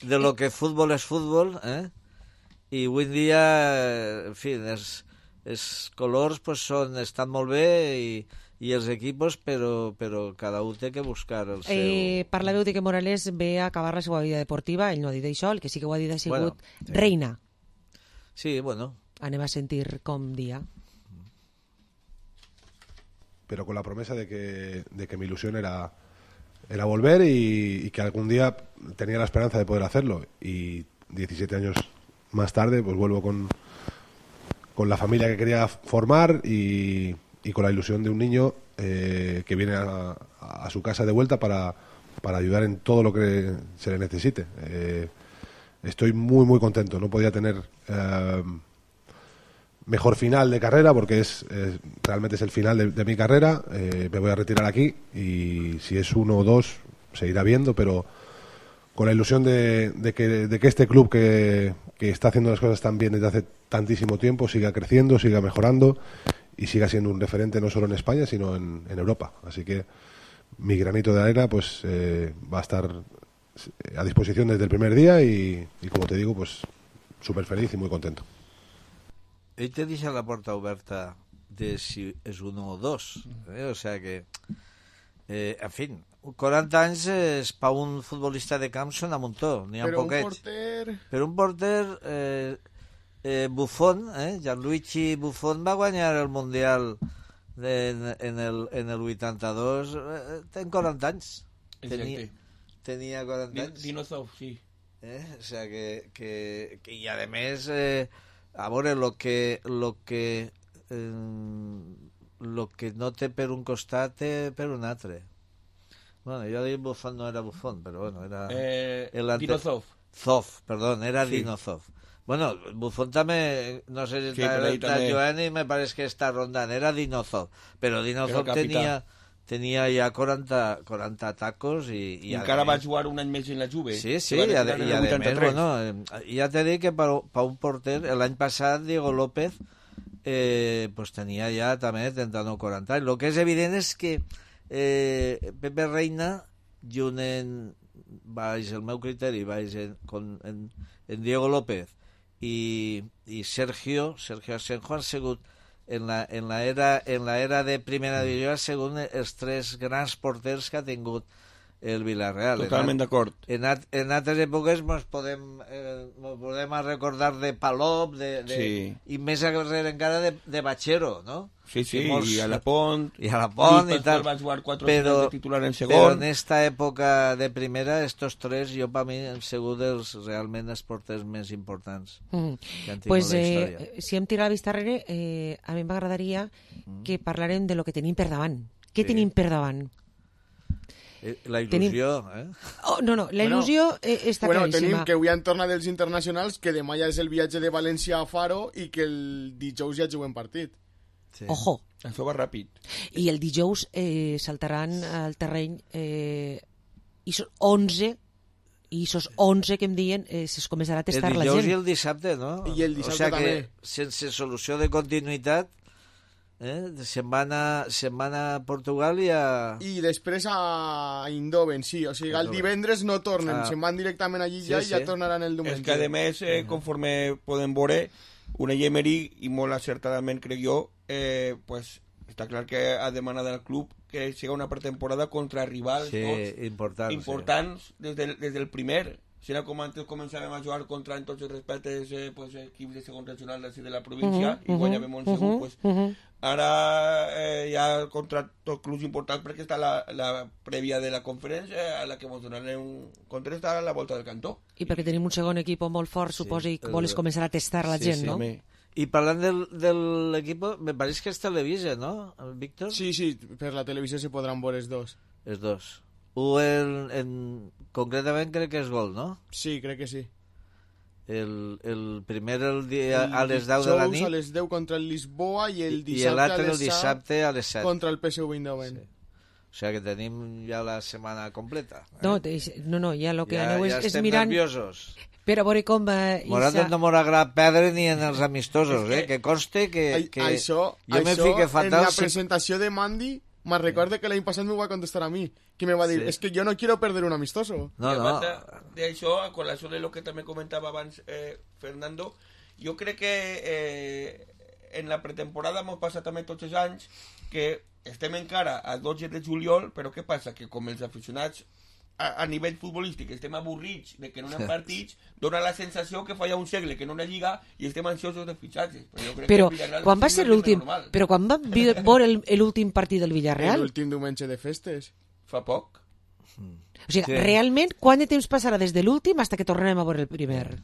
de lo que futbol és futbol, eh? I avui en dia, en fi, els, els colors pues, són, estan molt bé i i els equipos, però, però cada un té que buscar el seu... Eh, parlàveu de que Morales ve a acabar la seva vida deportiva, ell no ha dit això, el que sí que ho ha dit ha sigut bueno, sí. reina. Sí, bueno. Anem a sentir com dia. Pero con la promesa de que, de que mi ilusión era, era volver y, y que algún día tenía la esperanza de poder hacerlo. Y diecisiete años más tarde, pues vuelvo con, con la familia que quería formar y... y con la ilusión de un niño eh, que viene a, a su casa de vuelta para, para ayudar en todo lo que se le necesite. Eh, estoy muy, muy contento. No podía tener eh, mejor final de carrera porque es, es realmente es el final de, de mi carrera. Eh, me voy a retirar aquí y si es uno o dos se irá viendo, pero con la ilusión de, de, que, de que este club que, que está haciendo las cosas tan bien desde hace tantísimo tiempo siga creciendo, siga mejorando y siga siendo un referente no solo en España sino en, en Europa. Así que mi granito de arena pues eh, va a estar a disposición desde el primer día y, y como te digo pues súper feliz y muy contento. Ell te deixa la porta oberta de si és uno o dos, eh? O sea que eh, en fin, quaranta anys és per un futbolista de camp són a muntó, n'hi ha però poquets. Un porter... Però un porter eh, Eh, Buffon, eh? Gianluigi Buffon va guanyar el Mundial de, en, en, el, en el vuitanta-dos, eh, ten quaranta anys. Tenia, tenia quaranta anys. Dinosaur, sí. Eh? O sea, que, que, que y además, eh, a veure, lo que, lo que, eh, lo que no té per un costat té per un altre. Bueno, jo dic Buffon no era Buffon, però bueno, era... Eh, el ante... Dinozov. Zov, perdón, era Sí. Dinozov. Bueno, Buffon també, no sé si Sí, està, per ahí està també. Joan i me pareix que està rondant, era Dinozov, però Dinozov Era el capità. tenia, tenia ja quaranta, quaranta tacos i... I i encara a va més- jugar un any més en la Juve. Sí, sí, que va i, a, retirar en i el a més, vuitanta-tres. bueno, eh, ja t'he dit que per, per un porter, l'any passat Diego López eh, pues tenia ja també trenta-nou quaranta anys. El que és evident és que eh, Pepe Reina, junt en, baix el meu criteri, baix en, con, en, en Diego López i, i Sergio, Sergio Asenjo han sigut en la, en la era, en la era de primera divisió ha sigut els tres grans porters que ha tingut el Villarreal. Totalment d'acord. En, at, en altres èpoques ens podem, eh, mos podem recordar de Palop de, de, Sí. i més arrere encara de, de Bachero, no? Sí, sí, I molts- i a la Pont. i a la Pont Lluís i tal. Pascual va jugar quatre Però, finals de titular en segon. però en esta època de primera, estos tres, jo per mi han sigut els, realment els porters més importants Mm. que han tingut Pues, la eh, història. si hem tirat la vista enrere, eh, a mi m'agradaria que parlarem de lo que tenim per davant. Què Sí. tenim per davant? Eh, La tenim- il·lusió, eh? Oh, no, no, la il·lusió eh, està bueno, claríssima. tenim que avui han tornat els internacionals, que demà ja és el viatge de València a Faro i que el dijous ja juguem partit. Sí. Ojo. Això va ràpid. I el dijous eh, saltaran al terreny eh, i són onze i esos onze que em diuen eh, es començarà a testar el la dijous gent. i el dissabte, no? I el dissabte o sea també. que sense solució de continuïtat eh? se'n van, a, se'n van a Portugal i a... I després a Eindhoven, sí. O sigui, el Eindhoven. divendres no tornen, Ah. se'n van directament allí Sí, ja i ja sí. tornaran el diumenge. És que, a més, eh, conforme podem veure, Unai Emery, i molt acertadament, crec jo, eh, pues, està clar que ha demanat al club que siga una pretemporada contra rivals Sí, tots, important, importants des, del, des del primer. Serà com antes començàvem a jugar contra, en tots els respectes, eh, pues, equips de segon regional d'ací de la província, Mhm, i guanyàvem mhm, un segur, mhm, pues, mhm. ara eh, ja contra tots clubs importants perquè està la, la prèvia de la conferència a la que ens donarem un contra està a la volta del cantó. I perquè tenim un segon equip molt fort, suposo, i el- vols començar a testar la Sí, gent, sí, no? home. I parlant del, del equipo, me pareix que és Televisa, no, el Víctor? Sí, sí, per la televisió s'hi podran veure els dos. Els dos. Un, en, en, concretament crec que és Gol, no? Sí, crec que sí. El, el primer el dia, El a les deu de la dijous nit a les deu contra el Lisboa i el i dissabte, l'altre a el les set dissabte a les set. contra el P S V Eindhoven. Sí. O sigui que tenim ja la setmana completa. Eh? No, te- no, no, ja el que ja, aneu ja és, és estem mirant nerviosos. per a veure com eh, Nosaltres Isa- no m'ho agrada perdre ni en els amistosos, eh? Que conste que, Ai- que això, jo me això fique en fatal... la si- presentació de Mandy, me recordo que l'any passat m'ho va contestar a mi, que me va dir, Sí. es que yo no quiero perder un amistoso. No, I a no. banda d'això, a col·lació de lo que també comentava abans eh, Fernando, jo crec que eh, en la pretemporada hemos passat també tots els anys que estem encara a dotze de juliol, però què passa? Que com els aficionats a, a nivell futbolístic estem avorrits de que no hi ha partits, dona la sensació que fa ja un segle que no hi ha lliga i estem ansiosos de fitxatges. Però, jo crec Però que el Villarreal quan va sí ser és l'últim normal. però quan va vi- veure el- l'últim partit del Villarreal? L'últim diumenge de festes. Fa poc. O sigui, Sí. realment, quant de temps passarà des de l'últim fins que tornem a veure el primer?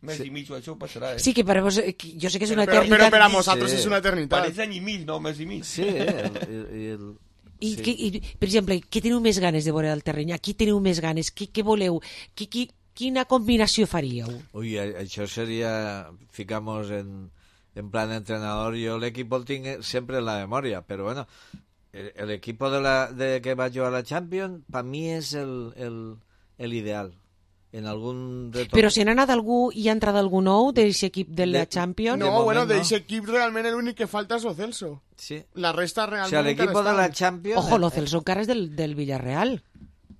Mes i mig o això passarà, eh? Sí, que per a vos, eh, que jo sé que és una Però, eternitat. però per a nosaltres Sí. és una eternitat. Pareix any i mig, no? Mes i mig. Sí, el, el, el, I, sí. que, i, per exemple, què teniu més ganes de veure al terreny? Aquí teniu més ganes? Què, què voleu? Qui, qui, quina combinació faríeu? Uy, a- això seria, ficamos en, en plan entrenador, yo el equipo el tinc sempre en la memòria, però bueno, el, el equipo de, la, de que va jugar a la Champions, per mi és el, el, el ideal. En algun retorn. Però si n'ha anat algú i ha entrat algú nou d'aquest equip de la De- Champions? No, moment, bueno, no. d'aquest equip realment l'únic que falta és Lo Celso. Sí. La resta O realment... sea, el equipo de la estan. Champions... Ojo, Lo Celso encara és del, del Villarreal.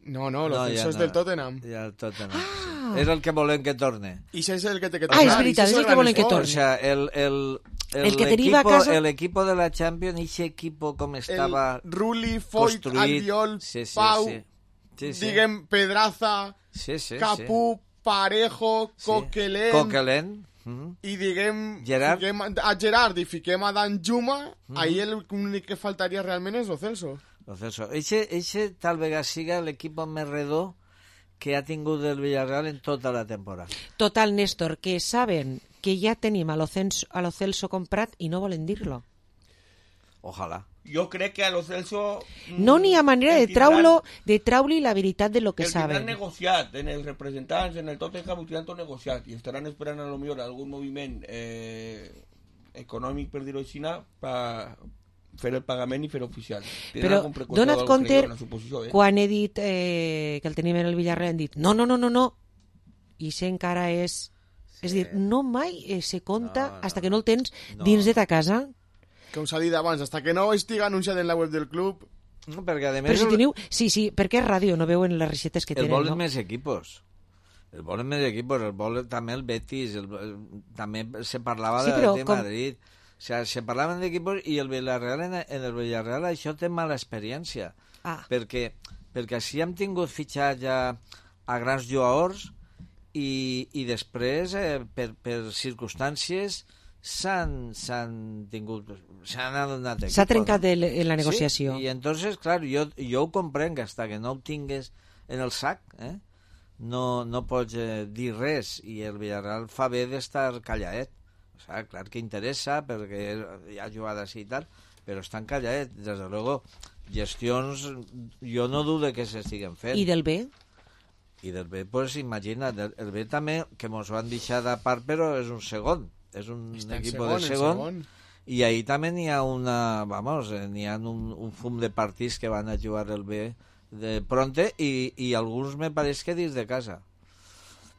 No, no, Lo No, Celso ja és no. del Tottenham. Ja el Tottenham, sí. És el que volem que torne. I això és el que té que Ah, és tornar, veritat, i és això el que gran volen que esforç. O torne. sea, el, el, el, El que deriva a equipo, casa- el equipo de la Champions, ese equipo com estava El Rulli, Foyt, construït... Albiol, sí, sí, Pau, sí. Sí, sí. diguem, Pedraza, Sí, sí, Capú, Parejo, sí. Coquelin, Coquelin. Mhm. i diguem, Gerard. fiquem a Gerard i fiquem a Dan Juma, ahí l'únic que faltaria realment és Lo Celso. Lo Celso. Eixe, eixe tal vegada siga l'equip més redó que ha tingut el Villarreal en tota la temporada. Total, Néstor, que saben que ja tenim a lo Celso, a lo Celso comprat i no volen dir-lo. Ojalà. Jo crec que a lo Celso... No n'hi ha manera de traure de traure la veritat de lo que el saben. El tindran negociat, en els representants, en el Tottenham ho tindran tot negociat i estaran esperant a lo millor algun moviment eh, econòmic, per dir-ho així, per fer el pagament i fer oficial. Però dona't compte, eh? quan he dit eh, que el tenim en el Villarreal, han dit no, no, no, no, no. I això encara és... Sí. És dir, no mai eh, se compta no, no, hasta que no el tens no. dins de ta casa. Com s'ha dit abans, hasta que no estigui anunciat en la web del club... No, perquè a més... Però si teniu... Sí, sí, perquè és ràdio, no veuen les recetes que el tenen, volen no? més equipos. El volen més equipos, el volen també el Betis, el, el, també se parlava sí, de, de com... Madrid... O sea, se parlaven d'equipos i el Villarreal, en, en el Villarreal això té mala experiència. Ah. Perquè, perquè així hem tingut fitxat ja a grans jugadors i, i després, eh, per, per circumstàncies, s'han, s'han tingut... S'han adonat equipos. S'ha trencat no? el, la negociació. Sí, i entonces, clar, jo, jo ho comprenc, hasta que no ho tingues en el sac, eh? no, no pots eh, dir res, i el Villarreal fa bé d'estar calladet. O sea, clar que interessa perquè hi ha jugades i tal, però estan calladets. Des de luego, gestions jo no dudo que s'estiguen fent. I del B? I del B, pues imagina't, el, el B també, que mos van deixar de part, però és un segon, és un equip de segon, segon, i ahí també n'hi ha una, vamos, n'hi ha un, un fum de partits que van a jugar el B de pronte i, i alguns me pareix que dins de casa.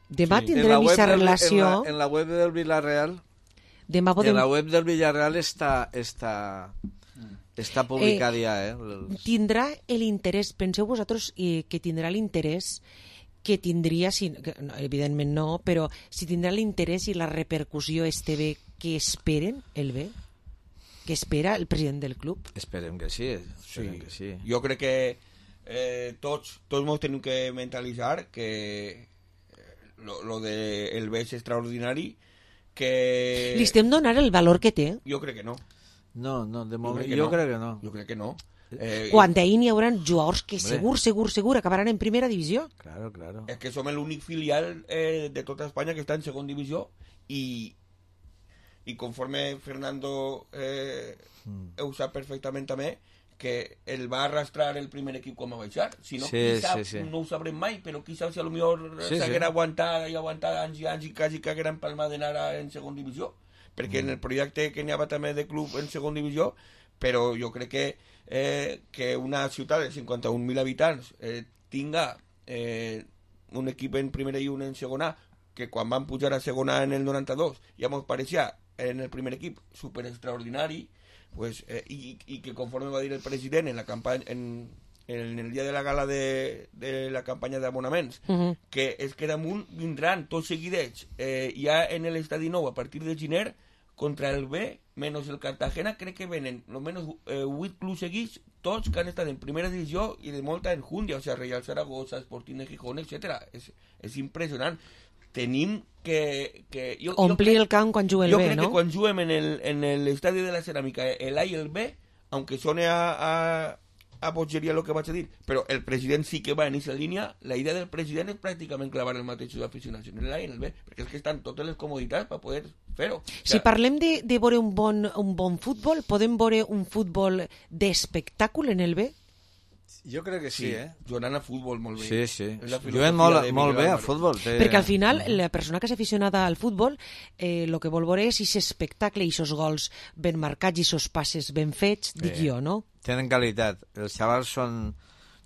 Demà sí. tindrem aquesta relació... En la, en la web del Villarreal... Demà podem... En la web del Villarreal està, està, està publicada eh, ja. Eh? El... Tindrà l'interès, penseu vosaltres eh, que tindrà l'interès que tindria, si, que, no, evidentment no, però si tindrà l'interès i la repercussió este bé que esperen el bé, que espera el president del club. Esperem que sí. Esperem sí. que sí. Jo crec que eh, tots, tots ens tenim que mentalitzar que lo, lo de el bé és extraordinari, que... Li estem donant el valor que té? Jo crec que no. No, no, de moment jo, jo no. crec que no. Jo crec que no. Eh, Quan d'ahir n'hi haurà jugadors que Hombre. segur, segur, segur acabaran en primera divisió. Claro, claro. És que som l'únic filial eh, de tota Espanya que està en segon divisió i, i conforme Fernando eh, mm. ho sap perfectament també, que el va arrastrar el primer equip quan va baixar. Si no, sí, qui sap, sí, sí. no ho sabrem mai, però qui sap si a lo millor sí, s'haguera sí. aguantat i aguantat anys i anys i quasi que haguera empalmat d'anar en segon divisió. Perquè mm. en el projecte que n'hi havia també de club en segon divisió, però jo crec que eh, que una ciutat de cinquanta-un mil habitants eh, tinga eh, un equip en primera i un en segona, que quan van pujar a segona en el noranta-dos ja mos pareixia en el primer equip super extraordinari, pues, eh, i, i que conforme va dir el president en la campanya en, en el dia de la gala de, de la campanya d'abonaments, uh-huh. que és que damunt vindran tots seguidets eh, ja en l'estadi nou a partir de gener contra el B, menys el Cartagena, crec que venen almenys eh, vuit clubs seguits, tots que han estat en primera divisió i de molta enjundia, o sigui, Real Zaragoza, Sporting de Gijón, etcètera. És, és impressionant. Tenim que... que jo, Omplir jo crec, el camp quan juguem el B, no? Jo crec que quan juguem en l'estadi de la Ceràmica, el A i el B, aunque sone a, a, a bogeria lo que vaig a dir, però el president sí que va en aquesta línia, la idea del president és pràcticament clavar el mateix aficionats en el A i en el B, perquè és que estan totes les comoditats per poder fer-ho. O sea, si parlem de, de veure un bon, un bon futbol, podem veure un futbol d'espectacle en el B? Jo crec que sí, sí, eh? Jugant a futbol molt bé. Sí, sí. Juguen molt, molt bé a futbol. Té... Perquè al final, la persona que és aficionada al futbol, el eh, que vol veure és aquest espectacle, i aquests gols ben marcats, i aquests passes ben fets, dic eh, jo, no? Tenen qualitat. Els xavals són...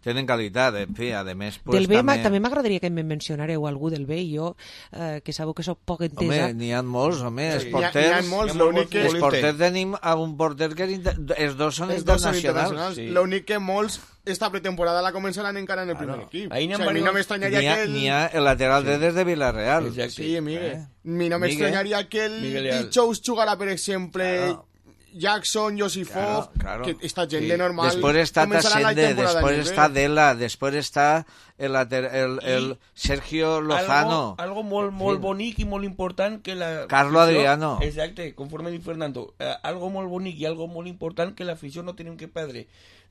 Tenen qualitat, en fi, a més... Pues, del B també, també m'agradaria que em mencionareu algú del B, jo, eh, que sabeu que soc poc entesa. Home, n'hi ha molts, home, sí. els porters... N'hi ha, ha molts, l'únic que... Els porters tenim un porter que és inter... els dos són els internacionals. internacionals. Sí. L'únic que molts, esta pretemporada la començaran encara en el primer claro. equip. Ahí o sea, a mi no m'estranyaria que el... N'hi ha el lateral sí. des de Villarreal. Exacte. Sí, Miguel. Eh? Mi no m'estranyaria que el Dijous jugara, per exemple... Claro. Jackson, Josifov, claro, claro. que esta gent sí. de normal después está Tasende, después está Dela, después está el, el, el Sergio Lozano, algo, algo molt, molt bonic i molt important que la Carlo Adriano, exacte, conforme diu Fernando, eh, algo molt bonic i algo molt important que l'afició no tenim que perdre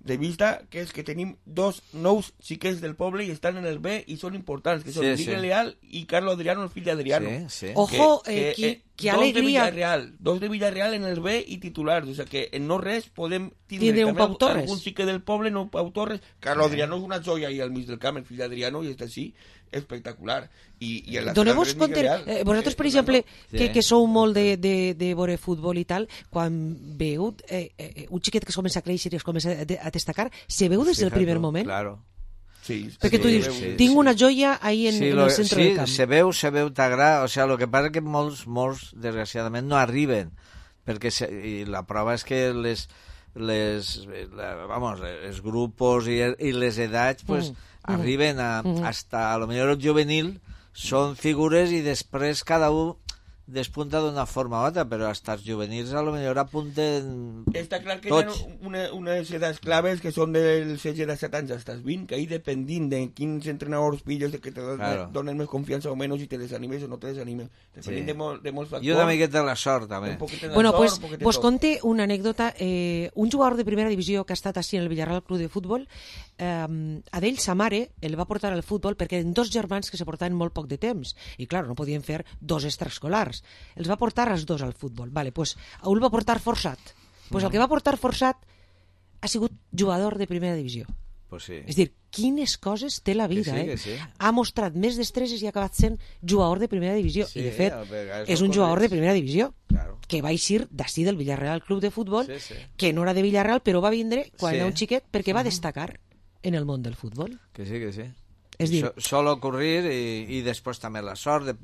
de vista, que és que tenim dos nous xiquets del poble i estan en el B i són importants, que són sí, Miguel sí. Leal i Carlos Adriano, el fill d'Adriano. Sí, sí. Ojo, que, eh, que, eh, que dos alegria. De Villarreal, dos de Villarreal en el B i titulars, o sea que en no res podem tindre Tiene un Pau Torres. algun xiquet del poble, no Pau Torres. Carlos sí. Adriano és una joia ahí al mig del camp, el fill d'Adriano, i està així, espectacular. I, i en la Doneu-vos compte, eh, vosaltres, per exemple, sí. que, que sou molt de, de, de veure futbol i tal, quan veu eh, eh, un xiquet que es comença a créixer i es comença a, a destacar, se veu des del Fijato, primer moment? Claro. Sí, perquè sí, tu dius, sí, tinc sí. una joia ahí en, sí, en lo, el centre sí, del camp. Sí, se veu, se veu, t'agrada, o sea, lo que passa que molts, molts, desgraciadament, no arriben, perquè se, i la prova és que les, les, la, vamos, els grupos i, i les edats, pues, mm. arriben a, mm. hasta, a lo millor el juvenil, són figures i després cada un despunta d'una forma o altra, però hasta els juvenils a lo millor apunten Està clar que tots. hi ha una, unes edats claves que són dels setze de set anys als vint, que ahí dependint de quins entrenadors pilles de que te claro. donen més confiança o menys i te desanimes o no te desanimes. Dependint sí. de, mol, de molts factors. I una miqueta de la sort, també. Bueno, sort, pues, vos conte una anècdota. Eh, un jugador de primera divisió que ha estat així en el Villarreal Club de Futbol, eh, a d'ell sa mare el va portar al futbol perquè eren dos germans que se portaven molt poc de temps i, clar, no podien fer dos extraescolars. Els va portar els dos al futbol. Vale, pues, un el va portar forçat. Pues el que va portar forçat ha sigut jugador de primera divisió. Pues sí. És dir, quines coses té la vida, que sí, eh? Sí. Ha mostrat més destreses i ha acabat sent jugador de primera divisió. Sí, I, de fet, és un jugador de primera divisió. Claro. Que va eixir d'ací del Villarreal Club de Futbol, sí, sí. que no era de Villarreal, però va vindre quan sí. era un xiquet perquè va destacar en el món del futbol. Que sí, que sí. És dir... So, sol ocurrir i, i després també la sort, de,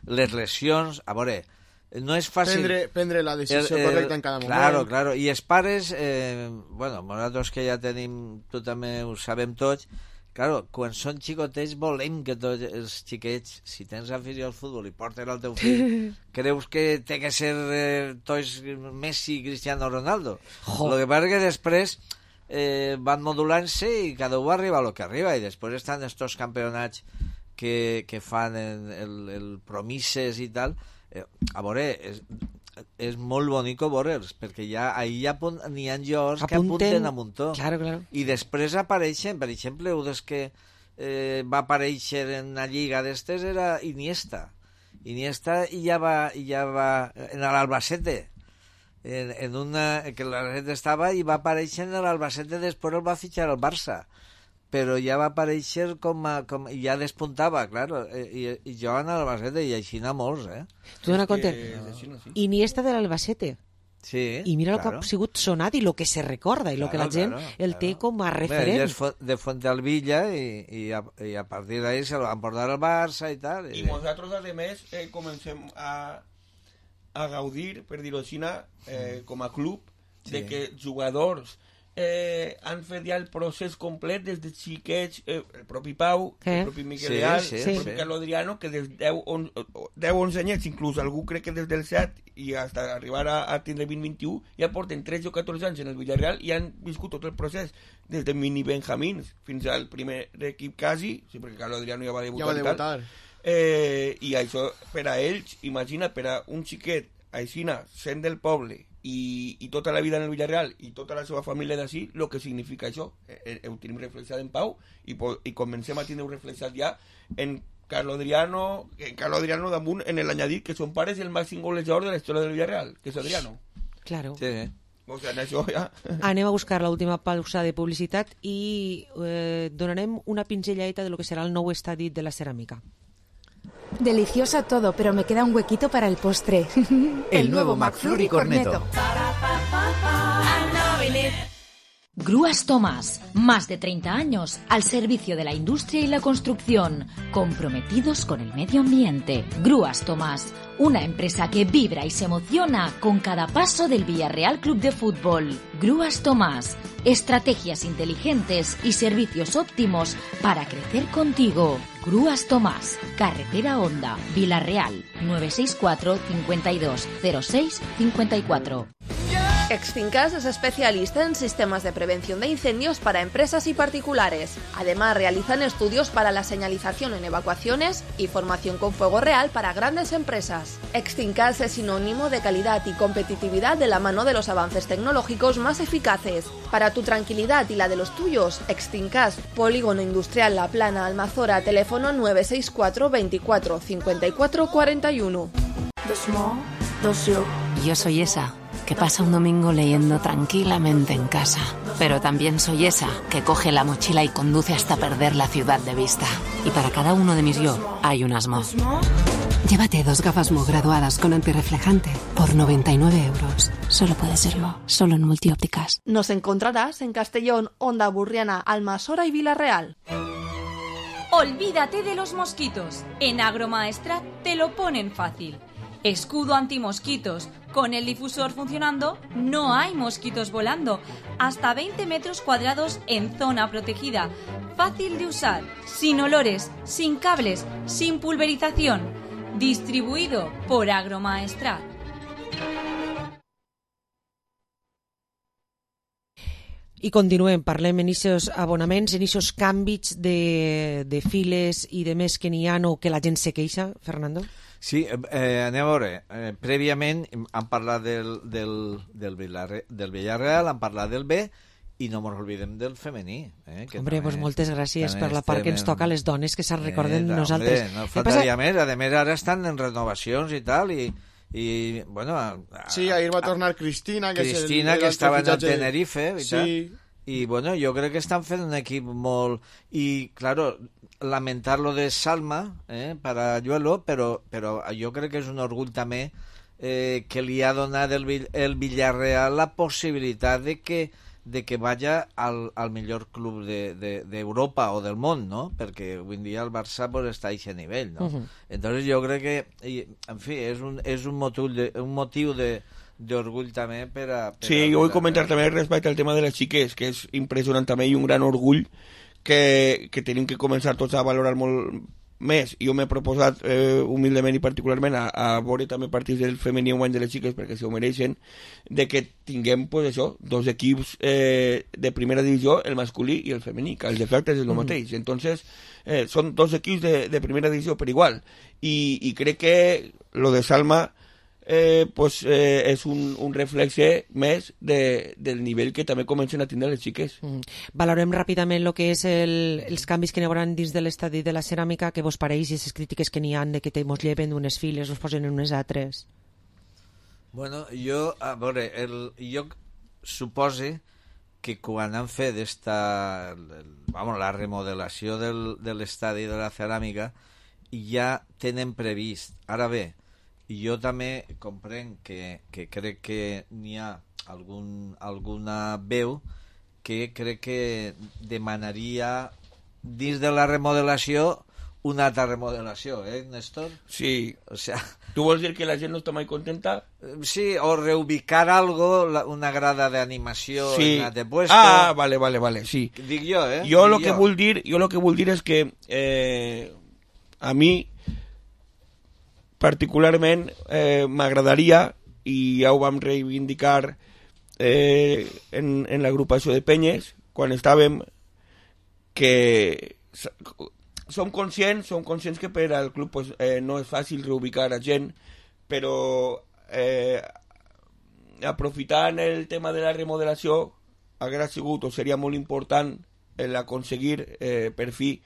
les lesions... A veure, no és fàcil... Prendre, prendre la decisió el, el, correcta en cada moment. Claro, claro. I els pares, eh, bueno, nosaltres que ja tenim, tu també ho sabem tots, claro, quan són xicotets volem que tots els xiquets, si tens afició al futbol i porten el teu fill, creus que té que ser eh, tots Messi i Cristiano Ronaldo. El que passa que després eh, van modulant-se i cada un arriba a lo que arriba i després estan estos campionats que, que fan el, el, el promises i tal. Eh, a veure, és, és molt bonic veure'ls, perquè ja, ahir ja n'hi ha jugadors que apunten a muntó. Claro, claro. I després apareixen, per exemple, un dels que eh, va aparèixer en una lliga d'estes era Iniesta. Iniesta i ja va, ja va en l'Albacete, en, en una, que l'Albacete estava i va aparèixer en l'Albacete, després el va fitxar al Barça. Però ja va aparèixer com a... Com, ja despuntava, claro, i, i juguen a l'Albacete, i així n'ha molts, eh? Tu dona compte, no. Iniesta de l'Albacete. Sí, i mira claro. el que ha sigut sonat i el que se recorda, i el claro, que la gent claro, el claro. té com a referent. Bé, ell és de Fuentealbilla i, i, a, i a partir d'ahí se el van portar al Barça i tal. I, I nosaltres, a més, eh, comencem a, a gaudir, per dir-ho així, eh, com a club, sí. de que jugadors Eh, han fet ja el procés complet des de xiquets, eh, el propi Pau, eh? el propi Miquel Leal, sí, sí, el propi sí. Carlos Adriano, que des de deu onze anyets, inclús algú crec que des del set i fins arribar a, a tindre vint vint i u, ja porten tretze o catorze anys en el Villarreal i han viscut tot el procés, des de mini benjamins fins al primer equip quasi, sí, perquè Carlos Adriano ja va debutar, ja va debutar. I, eh, i això per a ells, imagina, per a un xiquet aixina, sent del poble i, i tota la vida en el Villarreal i tota la seva família d'ací, el que significa això eh, ho tenim reflexat en Pau i, i comencem a tenir reflexat ja en Carlos Adriano en Carlos Adriano damunt en l'anyadit que son pares el màxim golejador de la història del Villarreal, que és Adriano. Claro. Sí. O sea, en això ja... Anem a buscar l'última pausa de publicitat i eh, donarem una pinzelladita de lo que serà el nou estadi de la ceràmica. Delicioso todo, pero me queda un huequito para el postre. El, el nuevo McFlurry Cornetto. Grúas Tomás, más de treinta años al servicio de la industria y la construcción, comprometidos con el medio ambiente. Grúas Tomás, una empresa que vibra y se emociona con cada paso del Villarreal Club de Fútbol. Grúas Tomás, estrategias inteligentes y servicios óptimos para crecer contigo. Grúas Tomás, Carretera Honda, Villarreal, nueve seis cuatro, cincuenta y dos, cero seis, cincuenta y cuatro. Extincas es especialista en sistemas de prevención de incendios para empresas y particulares. Además, realizan estudios para la señalización en evacuaciones y formación con fuego real para grandes empresas. Extincas es sinónimo de calidad y competitividad de la mano de los avances tecnológicos más eficaces. Para tu tranquilidad y la de los tuyos, Extincas, Polígono Industrial La Plana, Almazora, teléfono nueve seis cuatro veinticuatro cincuenta y cuatro cuarenta y uno. Yo soy esa que pasa un domingo leyendo tranquilamente en casa. Pero también soy esa que coge la mochila y conduce hasta perder la ciudad de vista. Y para cada uno de mis yo hay un Asmo. Llévate dos gafas Mo graduadas con antirreflejante por noventa y nueve euros. Solo puede serlo, solo en Multiópticas. Nos encontrarás en Castellón, Onda Burriana, Almasora y Villarreal. Olvídate de los mosquitos. En Agromaestrat te lo ponen fácil. Escudo antimosquitos. Con el difusor funcionando, no hay mosquitos volando. Hasta veinte metros cuadrados en zona protegida. Fácil de usar, sin olores, sin cables, sin pulverización. Distribuido por Agromaestrat. I continuem, parlem en aquests abonaments, en aquests canvis de, de files i de més que n'hi ha o que la gent se queixa, Fernando? Sí, eh, anem a veure. Eh, prèviament hem parlat del, del, del, Villarre, del Villarreal, hem parlat del B i no ens oblidem del femení. Eh, que hombre, doncs pues moltes gràcies per la part que ens toca a les dones, que se'n recorden eh, nosaltres. Hombre, no faltaria passa... més. A més, ara estan en renovacions i tal, i, i bueno... A, a, sí, ahir va tornar Cristina, que, Cristina, el, que estava en el Tenerife, i sí. tal. I, bueno, jo crec que estan fent un equip molt... I, claro, lamentar lo de Salma, eh, para Ayuelo, però, però jo crec que és un orgull també eh, que li ha donat el, el Villarreal la possibilitat de que, de que vaya al, al millor club d'Europa de, de, o del món, ¿no? Perquè avui en dia el Barça pues, està a aquest nivell, ¿no? Uh-huh. Entonces jo crec que, i, en fi, és un, és un motiu de, un motiu de d'orgull també per a... Per sí, jo vull comentar també respecte al tema de les xiques, que és impressionant també i un gran orgull que, que tenim que començar tots a valorar molt més. Jo m'he proposat eh, humilment i particularment a, a veure també partits del femení en guany de les xiques perquè se ho mereixen, de que tinguem pues, això, dos equips eh, de primera divisió, el masculí i el femení, que els efectes és el mm. mateix. Entonces, eh, són dos equips de, de primera divisió per igual. I, i crec que lo de Salma Eh, pues, eh, és un, un reflexe més de, del nivell que també comencen a tindre les xiques. Mm. Valorem ràpidament el que és el, els canvis que n'hi haurà dins de l'estadi de la ceràmica, que vos pareix, i les crítiques que n'hi ha de que te mos lleven d'unes files, us posen en unes altres. Bueno, jo, a veure, el, jo supose que quan han fet esta, el, vamos, la remodelació del, de l'estadi de la ceràmica ja tenen previst. Ara bé, jo també comprenc que, que crec que n'hi ha algun, alguna veu que crec que demanaria dins de la remodelació una altra remodelació, eh, Néstor? Sí. O sea, ¿tú vols dir que la gent no està mai contenta? Sí, o reubicar algo, la, una grada d'animació sí. en la de puesto. Ah, vale, vale, vale, sí. Dic jo, eh? Jo Dic lo que jo. vull dir, jo lo que vull dir és que eh, a mi particularment eh, m'agradaria, i ja ho vam reivindicar eh, en, en l'agrupació de penyes quan estàvem, que som conscients som conscients que per al club pues, eh, no és fàcil reubicar a gent, però eh, aprofitant el tema de la remodelació haguera sigut o seria molt important el aconseguir eh, per fi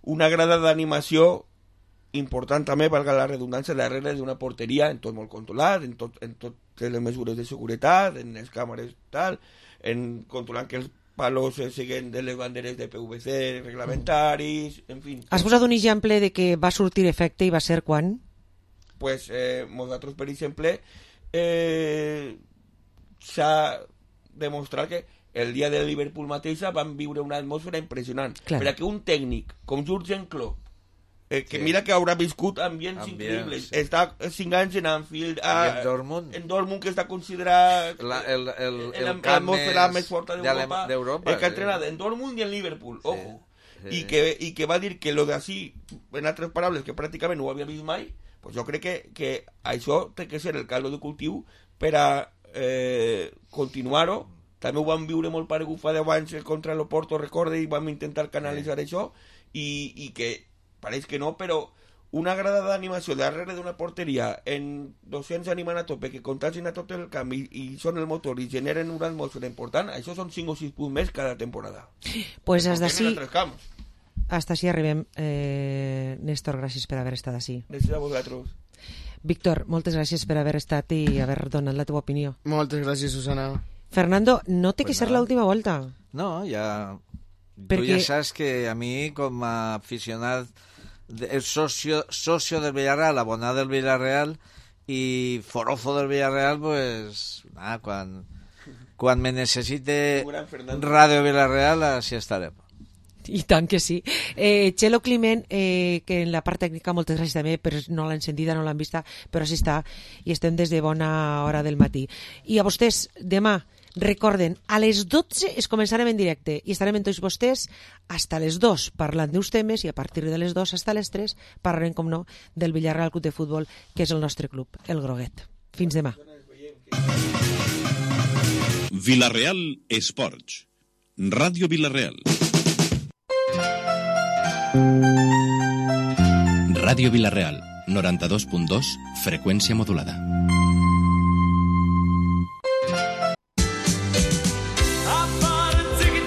una grada d'animació important també, valga la redundància, darrere d'una porteria, en tot molt controlat, en, tot, en totes les mesures de seguretat, en les càmeres tal, en controlant que els palos eh, siguen de les banderes de P V C reglamentaris, en fi. Has posat un exemple de que va sortir efecte i va ser quan? Pues eh, nosaltres, per exemple, eh, s'ha demostrat que el dia del Liverpool mateixa van viure una atmosfera impressionant. Clar. Per a que un tècnic com Jürgen Klopp, Eh, que sí. Mira que haurà viscut ambients Ambient, increïbles. Sí. Està cinc anys en Anfield, a, en Dortmund, en Dortmund, que està considerat la, el, el, el, el camp més, més forta d'Europa, el que ha entrenat en Dortmund i en Liverpool, sí. Ojo. Sí. I, que, I que va dir que lo d'ací, en altres paraules, que pràcticament no ho havia vist mai, pues jo crec que, que això té que ser el caldo de cultiu per a eh, continuar-ho. També ho vam viure molt paregut fa deu anys contra l'Oporto, recorde, i vam intentar canalitzar sí. això, i, i que pareix que no, però una grada d'animació darrere d'una porteria en dos-cents animant a tope que contagin a tot el camp i, i són el motor i generen una atmosfera important, això són cinc o sis punts més cada temporada. Pues hasta així hasta així arribem. eh, Néstor, gràcies per haver estat així. Gràcies a vosaltres. Víctor, moltes gràcies per haver estat i haver donat la teva opinió. Moltes gràcies, Susana. Fernando, no té pues que ser nada. L'última volta. No, ja... Perquè... Tu ja saps que a mi, com a aficionat, el socio, socio del Villarreal, abonat del Villarreal i forofo del Villarreal, pues, ah, quan, quan me necessite Ràdio Villarreal, així estarem. I tant que sí. Eh, Txelo Climent, eh, que en la part tècnica, moltes gràcies també, però no l'han sentida, no l'han vista, però sí està, i estem des de bona hora del matí. I a vostès, demà, recorden, a les dotze es començarem en directe i estarem amb tots vostès hasta les dos parlant d'uns temes i a partir de les dos hasta les tres parlarem, com no, del Villarreal Club de Futbol, que és el nostre club, el Groguet. Fins demà. Villarreal Esports. Ràdio Villarreal. Ràdio Villarreal, noranta-dos punt dos, freqüència modulada.